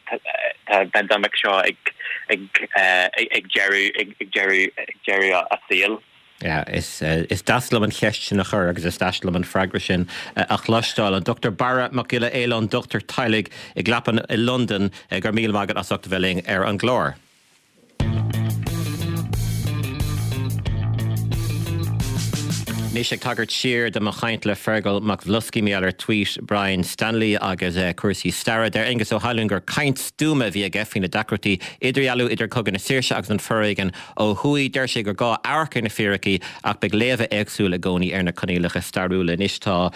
pandemic seo ag ag uh, ag deireadh ag deireadh ag deireadh a saol. Yeah, is, uh, is deas liom an cheist sin a chur agus is deas liom an freagra sin uh, a chloisteáil an Dr Barra Mac Giolla Éileáin dochtúir teaghlaigh i gClapham i Londain uh, go raibh míle maith agat as ucht a bheith linn ar an gclár. Anois ag tagairt siar do mo chaint le Fergal Mac Bhloscaidh mar gheall ar tweet Brian Stanley agus uh, cúrsaí staire deir Aengus Ó hAlún gur caint stuama a bhí aige faoi na deacrachtaí idirdhealú idir Cogadh na Saoirse agus an foréigean ó thuaidh deir sé gur gá amharc ar na fíricí ach beidh léamha éagsúla i gcónaí ar na coinníollacha stairiúla anois tá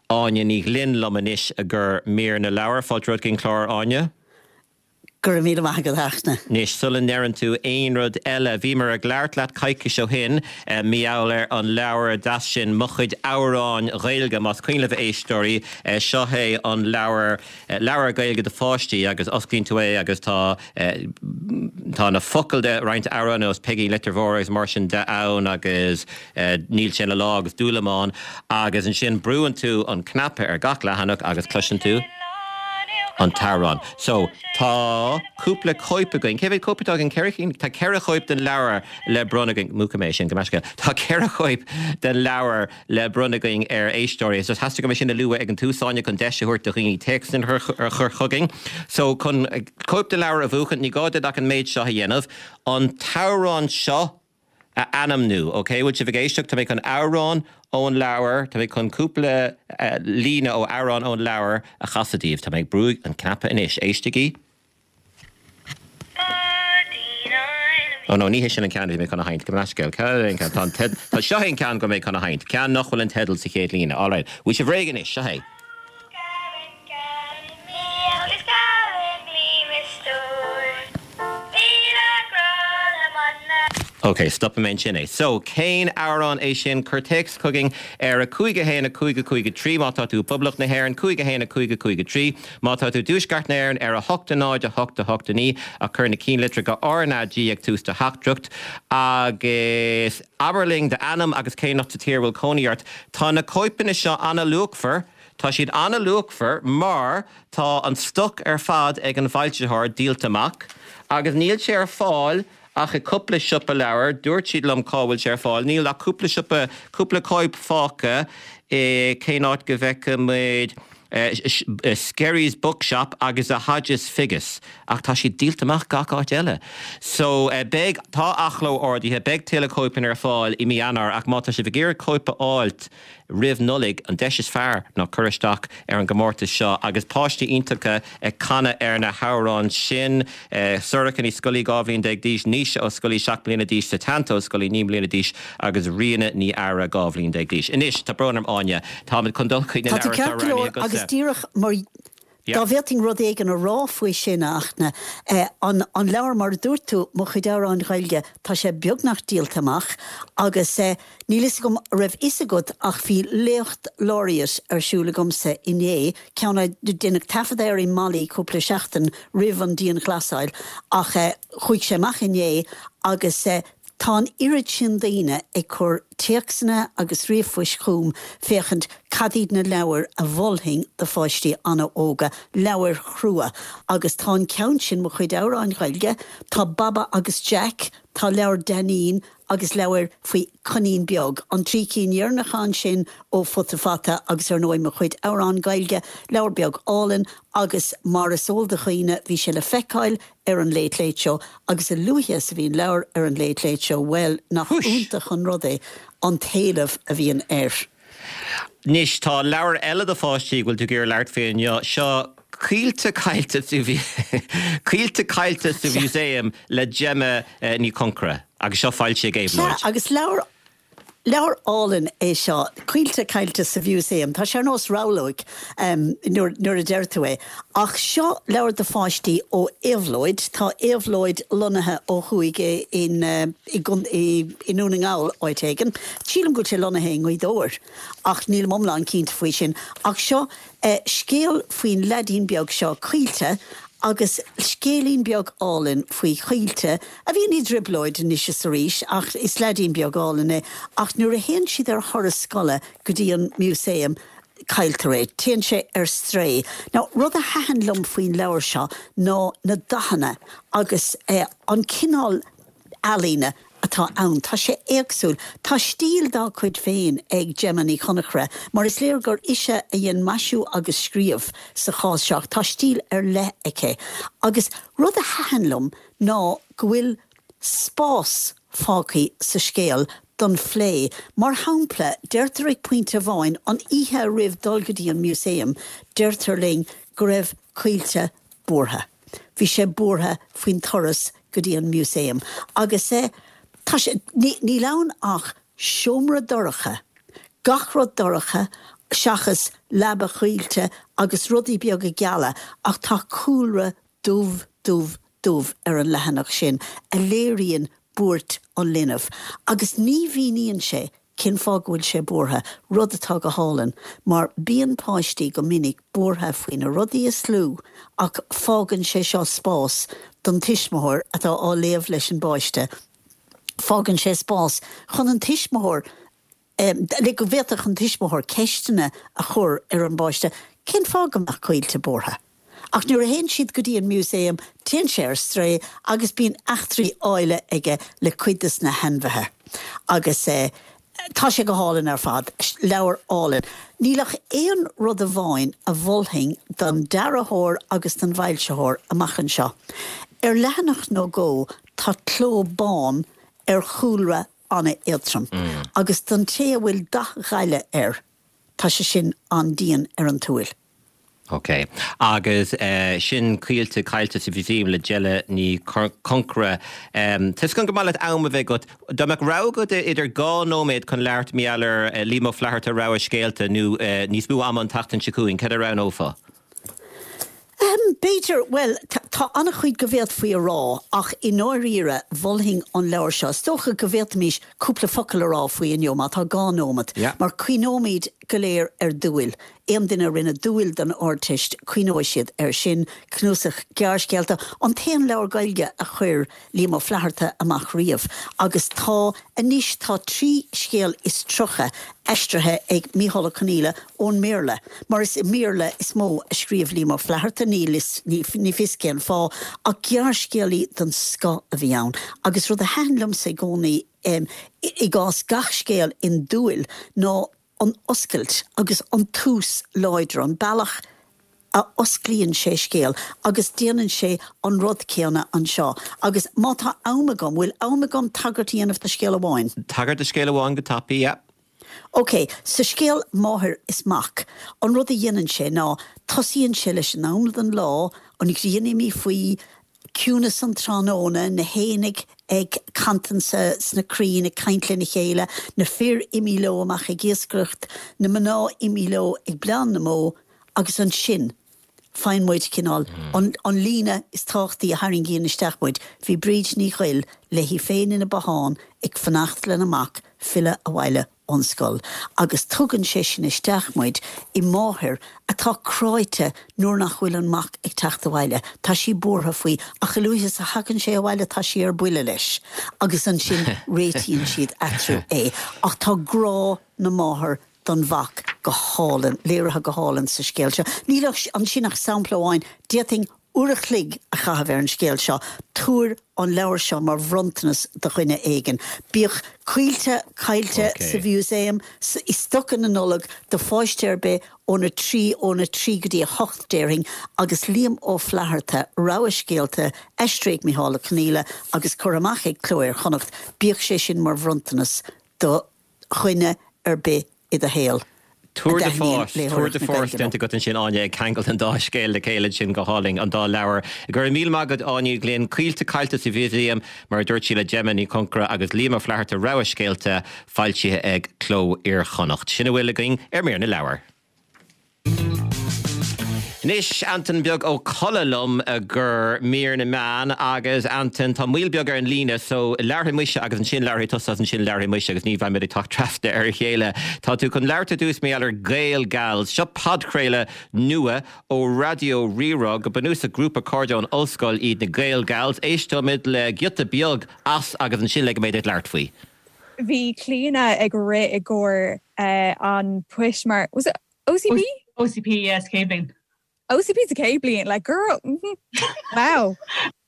Áine Ní Ghlinn liom anois i gcomhair mír na leabhar fáilte romhat chuig an clár Áine. Go raibh míle maith agat a Fhachtna. Anois sula ndeireann tú aon rud eile, bhíomar ag labhairt leat coicís ó shin mar gheall ar an leabhar deas sin Mo Chuid Amhráin Ghaeilge más cuimhin libh a éisteoirí seo é an leabhar leabhar Gaeilge do pháistí agus osclaíonn tú é agus tá tá na focail de roinnt amhrán nós Peigín Leitir Mhóir agus mar sin de ann agus níl sé ina lá agus dúlamán agus ansin brúann tú an cnaipe ar gach leathanach agus cloiseann tú an t-amhrán. So tá cúpla cóip againn, Cé mhéad cóip atá againn ceithre cinn tá ceithre chóip den leabhar le bronnadh againn múchfaidh mé sin go measca. Tá ceithre chóip den leabhar le bronnadh againn ar éisteoirí, so theastaigh uaim é sin a lua ag an tús Áine chun deis a thabhairt do dhaoine téacsanna a chur chugainn. So chun cóip den leabhar a bhuachan ní gá duit ach an méid seo a dhéanamh, an t-amhrán seo a ainmniú, ok? Bhfuil sibh ag éisteacht, tá mé chun amhrán ón leabhar, tá mé chun cúpla uh, líne ó amhrán ón leabhar a chasadh daoibh, tá mé ag brú an cnaipe anois, éistigí. Oh no, ní hé sin an ceann mé chun a sheinnt go meascail Tá seo an ceann go mé chun a sheinnt, ceann nach bhfuil an teideal sa chéad líne. All right, bhfuil sibh réidh anois seo é. Ok, stopfaidh mé ansin é. So, cén amhrán é sin cuir téacs chugainn ar a cúig a haon a cúig a cúig a trí má tá tú i bPoblacht na hÉireann, cúig a haon a cúig a cúig a trí má tá tú i dTuaisceart na hÉireann ar a hocht a náid a hocht a hocht a naoi ach cuir na cinnlitreacha R N A G ag tús do theachtaireacht agus abair linn d'ainm agus cén áit sa tír a bhfuil cónaí ort. Tá na cóipeanna seo an-luachmhar. Tá siad an-luachmhar mar tá an stoc ar fad ag an bhfoilsitheoir díolta amach agus níl sé ar fáil ach i cúpla siopa leabhar, dúirt siad liom cá bhfuil sé ar fáil, níl ach cúpla siopa, cúpla cóip fágtha i cén áit go bhfeicfidh muid Skerry's Bookshop agus a Hodges Figgis ach tá sé díolta amach gach áit eile. So uh, beidh tá athchló ordaithe beidh tuilleadh cóipeanna ar fáil i mí Eanáir ach má tá sibh ag iarraidh cóip a fháilt roimh Nollaig an deis is fearr ná cur isteach ar an gcomórtas seo agus páistí iontacha ag canadh ar na hamhráin sin eh, Sorcha Ní Scolaí dhá bhliain déag d'aois Naoise Ó Scolaí seacht mbliana d'aois Setanta Ó Scolaí naoi mbliana d'aois agus Ríona Ní Eadhra dhá bhliain déag d'aois. Anois tá brón orm Áine Tá chun dul chuig na Tá tú ceart go leor agus díreach mar Dá bhféadfainn rud éigin a rá faoi sin ach na eh, an, an leabhar mar a dúirt tú mo chuid amhrán Gaeilge tá sé beagnach díolta amach agus eh, níl fhios agam raibh fhios agat ach bhí léacht laureate ar siúl agamsa inné ceann a deineadh taifead air i Mali cúpla seachtain roimh an dianghlasáil ach eh, chuaigh sé amach inné agus eh, Tá an oiread sin daoine ag cur téacsanna agus ríomhphoist chugam féachaint cad iad na leabhair a mholfainn do pháistí an-óga, leabhair chrua, agus tá an ceann sin mo chuid amhráin Ghaeilge, tá Baba agus Jack, tá leabhar Dainín agus leabhar faoi Coinín Beag, an trí cinn dheireanacha ansin ó Futa Fata agus ar ndóigh mo chuid amhrán Gaeilge, leabhar beag álainn agus mar is eol do dhaoine bhí sé le feiceáil ar an Late Late Show agus a luaithe is a bhíonn leabhar ar an Late Late Show, bhuel nach iontach an rud é an t-éileamh a bhíonn air. Anois tá leabhar eile do pháistí bhfuil tú ag iarraidh labhairt faoi inniu seo Caoilte Caillte Caoilte Caillte sa Mhúsaem le Gemma eh, Ní Chonchra agus seo foilsithe ag Éabhlóid. Agus leabhar Leabhar álainn é seo Caoilte Caillte sa Mhúsaem, Tá sé ar nós rabhlóg um, nuair a deir tú é. Ach seo leabhar do pháistí ó Éabhlóid, tá Éabhlóid lonnaithe ó thuaidh in, uh, i, i, i nDún na nGall áit éigin. Sílim go bhfuil sé lonnaithe i nGaoth Dobhair ach níl iomlán cinnte faoi sin. Ach seo uh, scéal faoin leaidín beag seo Caoilte agus scéilín beag álainn faoi Chaoilte a bhíonn i dtrioblóid anois is arís ach is leaidín beag álainn é ach nuair a théann siad ar thuras scoile go dtí an músaem cailltear é, téann sé ar strae. Now, rud a thaitin liom faoin leabhar seo ná na dathanna agus eh, an cineál ealaíne atá ann. Tá sé éagsúil. Tá stíl dá cuid féin ag Gemma Ní Chonchra, mar is léir gur ise a dhein maisiú agus scríobh sa chás seo, tá stíl ar leith aici. Agus rud a thaitin liom ná go bhfuil spás fágtha sa scéal don phlé. Mar shampla, deirtear ag pointe amháin an oíche roimh dul go dtí an músaem, deirtear linn go raibh Caoilte buartha. Bhí sé buartha faoin turas go dtí an músaem. Agus é Tá sé níl ann ach seomra dorcha, gach rud dorcha seachas leaba Chaoilte agus rudaí beaga geala ach tá cúlra dubh dubh dubh ar an leathanach sin a léiríonn buairt an linbh. Agus ní mhíníonn sé cén fáth go bhfuil sé buartha, rud atá go hálainn, mar bíonn páistí go minic buartha faoi na rudaí is lú ach fágann sé seo spás don tuismitheoir atá á léamh leis an bpáiste fágann sé spás chun an tuismitheoir um, le go bhféadfadh an tuismitheoir ceisteanna a chur ar an bpáiste, cén fáth go mbeadh Caoilte buartha. Ach nuair a théann siad go dtí an músaem téann sé ar strae agus bíonn eachtraí áille aige le cuid de na hainmhithe. Agus eh, tá sé go hálainn ar fad, leabhar álainn. Níl ach aon rud amháin a mholfainn don dearthóir agus don bhfoilsitheoir amach anseo. Ar leathanach nó dhó tá cló bán ar chúlra an-éadtrom. Mm. Agus don té a bhfuil dath gaile air, tá sé sin an-dian ar an tsúil. Ok, agus uh, sin Caoilte Caillte sa Mhúsaem le Gemma Ní Chonchra. Um, Tá go maith leat am a bheith agat Dá mbeadh rogha agat idir dhá nóiméad chun labhairt mar gheall ar uh, Liam Ó Flaithearta rogha scéalta nó uh, níos mó ama an tseachtain seo chugainn, cad a roghnófá? Um, B'fhéidir well tá an-chuid go bhféadfaí a rá ach i ndáiríre mholfainn an leabhar seo. Is dócha go bhféadfaimis cúpla focal a rá faoi inniu má tá dhá nóiméad, yeah. mar cuimhneoimid go léir ar dúil. Aon duine a rinne dúil don Ardteist cuimhneoidh siad air sin cnuasach gearrscéalta an t-aon leabhar Gaeilge a chuir Liam Ó Flaithearta amach riamh. Agus tá anois tá trí scéal is tríocha aistrithe ag Mícheál Ó Conghaile ón mBéarla, mar is i mBéarla is mó a scríobh Liam Ó Flaithearta ní ní, ní fios cén fáth ach gearrscéalaí den scoth a bhí ann. Agus rud a thaitin liomsa i gcónaí um, i gcás gach scéal in dúil ná an oscailt agus an tús láidir, an bealach a osclaíonn sé scéal agus déanann sé an rud céanna anseo. Agus má tá am agam, bhfuil am agam tagairt a dhéanamh do scéal amháin? Tagairt do scéal amháin go tapaidh, yeah. Ok, sa scéal Máthair is Mac, an rud a dhéanann sé ná tosaíonn sé leis an am den lá, an ghrian imithe faoi, ciúnas an tráthnóna, na héin ag cantain sna crainn ag caint lena chéile, na fir imithe leo amach ag iascaireacht, na mná imithe leo ag bleán na mbó, agus ansin faigheann muid cineál an an líne is tábhachtaí a tharraingíonn isteach muid, bhí Bríd Ní Ghoill léi féin ina bothán ag fanacht lena mac filleadh abhaile ón scoil agus tugann sé sin isteach muid i máthair atá cráite nuair nach bhfuil an mac ag teacht abhaile. Tá sí buartha faoi ach a luaithe is a thagann sé abhaile tá sí ar buile leis agus ansin réitíonn siad eatarthu é. Ach tá grá na máthar don mhac go hálainn, léirithe go hálainn sa scéal seo. Níl ansin ach sampla amháin. D'fhéadfainn uair a chloig a chaitheamh ar an scéal seo. Tabhair an leabhar seo mar bhronntanas do dhuine éigin. Bíodh Coillte Caillte sa Mhúsaem i stoca na Nollag do pháiste ar bith óna trí, óna trí go dtí a hocht déarfainn, agus Liam Ó Flaithearta, rogha scéalta, aistrithe ag Micheál Ó Conghaile agus curtha amach ag Cló Iar-Chonnacht, bíodh sé sin mar bhronntanas do dhuine ar bith i do shaol. Tour de force, tour de force déanta agat ansin Áine ag ceangal an dá scéal le chéile sin go hálainn, an dá leabhar. Go raibh míle maith agat Áine Ní Ghlinn, Coillte Caillte sa Mhúsaem mar a dúirt sí le Gemma Ní Chonchura agus Liam Ó Flaithearta rogha scéalta foilsithe ag Cló Iar-Chonnacht. Sin a bhfuil againn ar Mír na Leabhar. Anois Antain Beag Ó Colla liom do Mhír na Meán agus Antain tá moill beag ar an líne so labharfaidh mise agus ansin labharfaidh tusa agus ansin labharfaidh mise agus ní bheimid ag teacht trasna ar a chéile. Tá tú chun labhairt ar dtús mar gheall ar Gael Gals. Seo podchraoladh nua ó Raidió Rí-Rá go bunúsach grúpa cairde ón ollscoil iad na Gael Gals. Éisteoimid le giota beag as agus ansin ligfidh mé duit labhairt faoi. Bhí Clíona ag rith i gcomhair an poist mar, was it OCP? OCP, yes, chéad bhliain. OCP sa chéad bhliain, like girl, wow.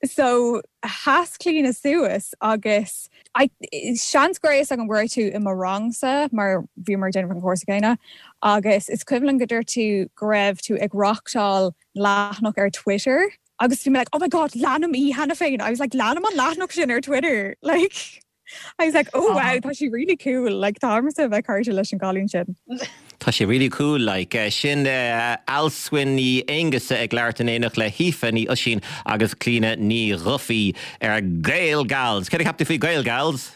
So sheas Clíona suas agus I, seans go raibh a fhios agam go raibh tú i mo rangsa mar bhíomar ag déanamh an cúrsa céanna agus is cuimhin liom go dúirt tú go raibh tú ag reáchtáil leathanach ar Twitter agus bhí mé like oh my god leanaim í cheana féin I was like leanaim an leathanach sin ar Twitter like I was like oh wow tá sí really cool like táimse a bheith cairde leis an gcailín sin. Tá sé really cool like sin Alswyn Ní Aonghusa ag labhairt in éineacht le hAoife Ní Oisín agus Clíona Ní Dhufaigh ar Gael Gals. Céard a cheap tú faoi Gael Gals?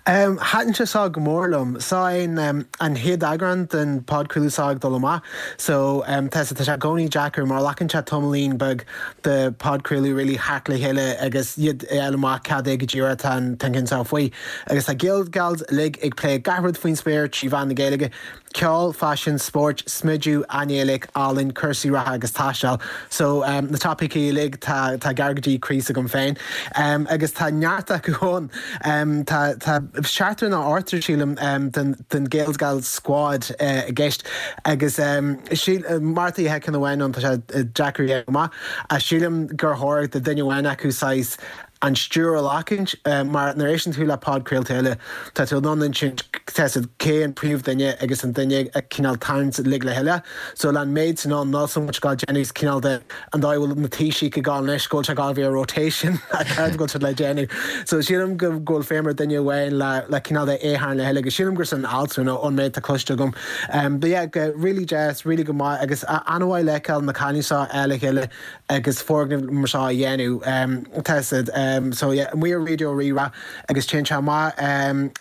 Um, Thaitin sé seo go mór liom. Seo an an chéad eagrán den podchraoladh seo ag dul amach, so um, tá tá sé i gcónaí deacair mar glacann sé tamaillín beag de podchraoladh really theacht le chéile agus iad a fháil amach cad é go díreach atá an t-ceann seo faoi. Agus tá Gael Gals uilig ag plé gach rud faoin spéir trí mheán na Gaeilge, ceol, faisean, spórt, smideadh, ainéalaigh, ealaín, cúrsaí reatha agus taisteal. So um, na topaicí uilig tá tá gar go dtí croí agam féin. Um, agus tá neart acu ann. Um, tá tá seachtar nó ochtar sílim um, den, den Gael Gals squad uh, i gceist agus um, síl, uh, Martha hecin amháin an tá sé deacair amach a sílim gur chóir do duine amháin acu saghas an stiúir a ghlacadh uh, mar nuair éisteann tú le podchraolta eile tá tú an sin cé an príomhdhuine agus an duine a cineál tarraingt uilig le chéile, so le an méid san an ná so much gá déanamh cineál de an dá bhfuil na taoisigh go gáil go se gá bhí a rotation a go le déanamh. So sílim go bhfuil feidhm ar duine amháin le le cineál de éhan le chéile go sílim gur san alt nó an méid tá cloiste agam. Um, but yeah, go really deas, really go maith agus an-mhaith le feiceáil na cailíní seo le chéile agus foirgneamh mar seo a dhéanamh um, tested. Um, so yeah, we are Raidió Rí-Rá agus téann sé amach um,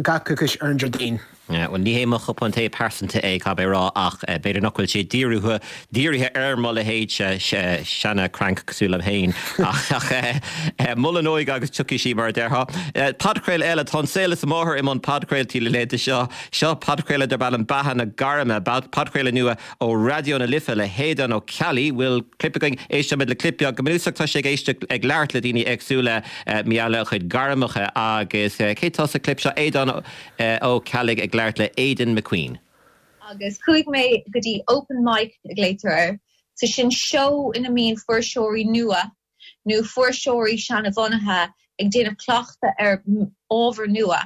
gach coicís ar an Déardaoin. Well ní hé mo chupán tae pearsanta é caithfidh mé a rá ach b'fhéidir nach bhfuil sé dírithe dírithe ar mo leithéid seana crank cosúil liom féin ach mol an óige agus tiocfaidh sí mar a déarfá. Podchraoladh eile tá An Saol is a Máthair i mbun podchraoltaí le laethanta seo seo podchraoladh darb ainm Beatha na Gairme podchraoladh nua ó Raidió na Life le hAodán Ó Ceallaigh bhfuil clip againn éistfimid le clip beag go bunúsach tá sé ag éisteacht ag labhairt le daoine éagsúla maidir lena chuid gairmeacha agus cé tá sa clip seo Aodán Ó Ceallaigh ag labhairt le Aidan McQueen. Agus chuaigh mé go dtí open mic a glaotar air, so sin seó ina mbíonn fuirseoirí nua nó fuirseoirí seanbhunaithe ag déanamh cleachtadh ar ábhar nua.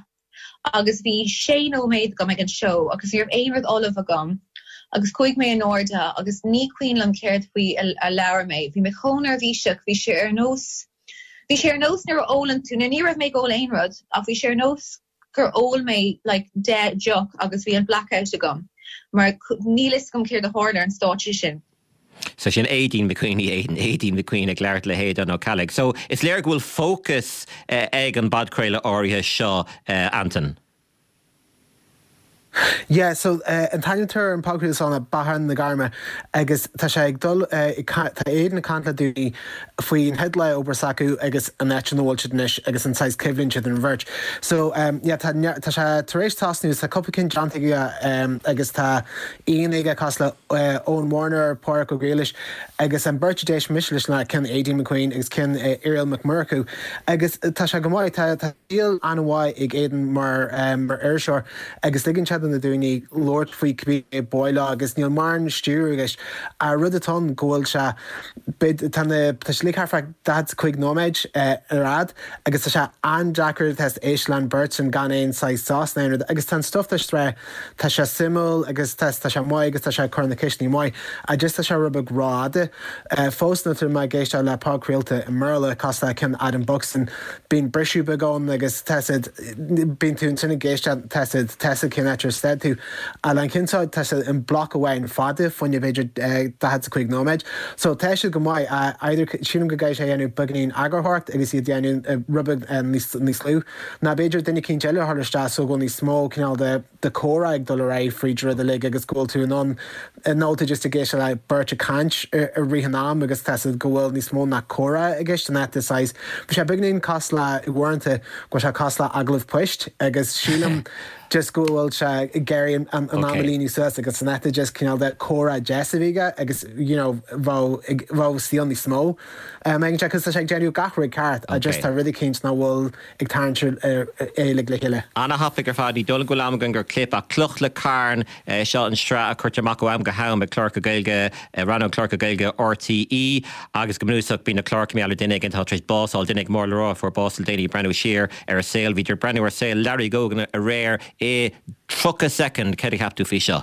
Agus bhí sé nóiméad agam ag an seó agus ní raibh aon rud ullamh agam agus chuaigh mé in airde agus ní cuimhin liom céard faoi a labhair mé. Bhí mé chomh neirbhíseach, bhí sé ar nós bhí sé ar nós nuair a ólann tú, ní raibh mé ag ól aon rud ach bhí sé ar nós gur ól mé like deich deoch agus bhí an blackout agam mar níl fhios agam céard a tharla ar an stáitse sin. So sin Aideen McQueen Aiden Aideen McQueen ag labhairt le hAodán Ó Ceallaigh. So is léir go bhfuil fócas eh, ag an bpodchraoladh áirithe seo uh, Anton. Yeah, so uh, an t-ainm atá ar an podchraoladh seo ná Beatha na Gairme agus tá sé ag dul uh, tá Aidan ag caint le daoine faoin chéad lá oibre s'acu agus an áit ina bhfuil siad anois agus an saghas coimhlint idir an bheirt. So um, yeah, tá, tá sé tar éis tosnú tá cúpla ceann déanta aige um, agus tá aon aige cosúil le uh, Eoin Warner, Pádraig Ó Griallais agus an beirt d'éist mise leis ná ceann Aideen McQueen agus ceann uh, Irial Mac Murchú agus tá sé go maith tá tá an-mhaith ag Aidan mar um, mar iriseoir agus ligeann sé na daoine labhairt faoi cibé bóile agus níl mórán stiúir agus a rud atá go bhfuil sé tá sé thart fá daichead cúig nóiméad ar fhad agus tá sé an-deacair test éisteacht leis an bheirt sin gan aon saghas sos ná rud agus tá stuff tre tá sé suimiúil agus tá sé maith agus tá sé chur na ceisteanna maith a just tá sé rud beag rófhada fós nuair atá mé ag éisteacht le podchraolta i mBéarla cosúil le ceann Adam Buxton bíonn briseadh beag ann agus tá bíonn tú ansin ag éisteacht tá tá cén áit ar stad tú a an ceann seo tá sé in bloc amháin fada faoin b'fhéidir daichead cúig nóiméad. So tá sé go maith either sílim go gcaithfidh sé dhéanamh beagáinín eagarthóireacht agus iad déanamh rud beag níos lú. Ná b'fhéidir duine éicint eile thar isteach so go níos mó cineál de de chomhrá ag dul ar aghaidh fríd rud uilig agus go bhfuil tú in ann ná tú just ag éisteacht le beirt ag caint i rith an am agus tá go bhfuil níos mó ná comhrá i gceist an net size. Bhí sé beagáinín cosúil le uaireanta go sé cosúil le agallamh poist agus sílim just go bhfuil sé ag iarraidh an am a líonadh suas agus san net just cineál de comhrá deas a bhí agus you know bheadh stíl níos mó. Um, ag tá sé déanamh gach rud ceart a just tá rudaí éicint nach bhfuil ag tarraingt éile le chéile. An-thapaidh ar fad ní dul go am gur clip a cloch le carn seo an sraith a chuirtear amach ó am go ham ag cláracha Gaeilge rannóg cláracha Gaeilge RTÉ agus go bunúsach bíonn na cláir le duine éigin atá tar éis bás a fháil duine mór le rá fuair bás le déanaí breathnú siar ar a saol bhí breathnú ar saol Larry Gogan aréir i tríocha soicind céard a cheap tú faoi seo.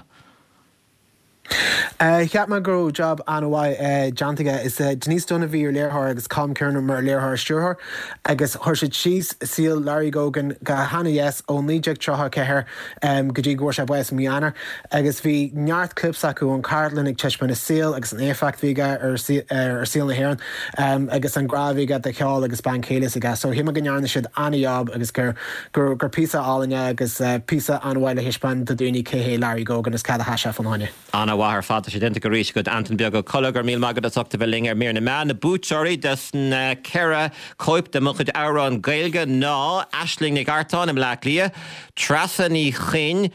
Uh, Cheap mé go raibh job an-mhaith uh, déanta aige is uh, Denise Dunne a bhí ar léiritheoir agus Colm Kiernan mar léiritheoir stiúrthóir agus chuir siad síos saol Larry Gogan go han-dheas ó naoi déag tríocha ceathair um, go dtí go sé bás mí Eanáir agus bhí neart clips acu an cartlann ag taispeáint a saol agus an éifeacht bhí aige ar ar saol na hÉireann um, agus an grá bhí aige do cheol agus bean chéile aige so shíl mé go ndearna siad an-job agus gur gur gur píosa álainn agus uh, píosa an-mhaith le taispeáint do dhaoine cé hé Larry Gogan is cad a sheas sé fána choinne. An-mhaith ar fad sé déanta arís agat Anton Beag Ó Colla go raibh míle maith agat as ucht a bheith linn ar Mír na Meán na buaiteoirí des na ceithre cóip de mo chuid amhrán Gaeilge ná Aisling Nic Artáin i mBleá Cliath, Treasa Ní Chinn,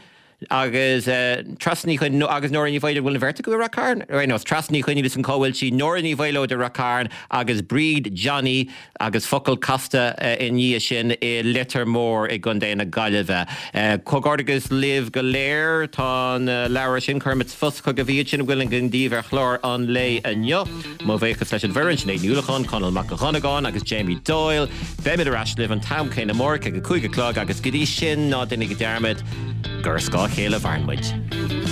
agus uh, Treasa Ní Chinn agus Nóra Ní Mhaoileoid bhfuil na bheirt go Rath Cairn nó Treasa Ní Chinn an cóhfuil sí Nóra Ní Mhaoileoid de Rath Cairn agus Bríd Johnny agus focal casta uh, i ndiaidh sin i Leitir Móir i gContae na Gaillimhe. Uh, Comhghairdeas libh go léir tá na leabhair sin cuirfimid sa phost chugaibh iad sin bhfuil an gníomh ar chlár an lae inniu. Mo bhuíochas leis an bhfoireann sin Nuachán Conall Mac Chonagáin agus Jamie Doyle, Beimid ar ais libh an t-am céanna amárach ag a cúig a chlog agus go dtí sin ná déanaigí dearmad gur scáth a chéile a mhaireann muid.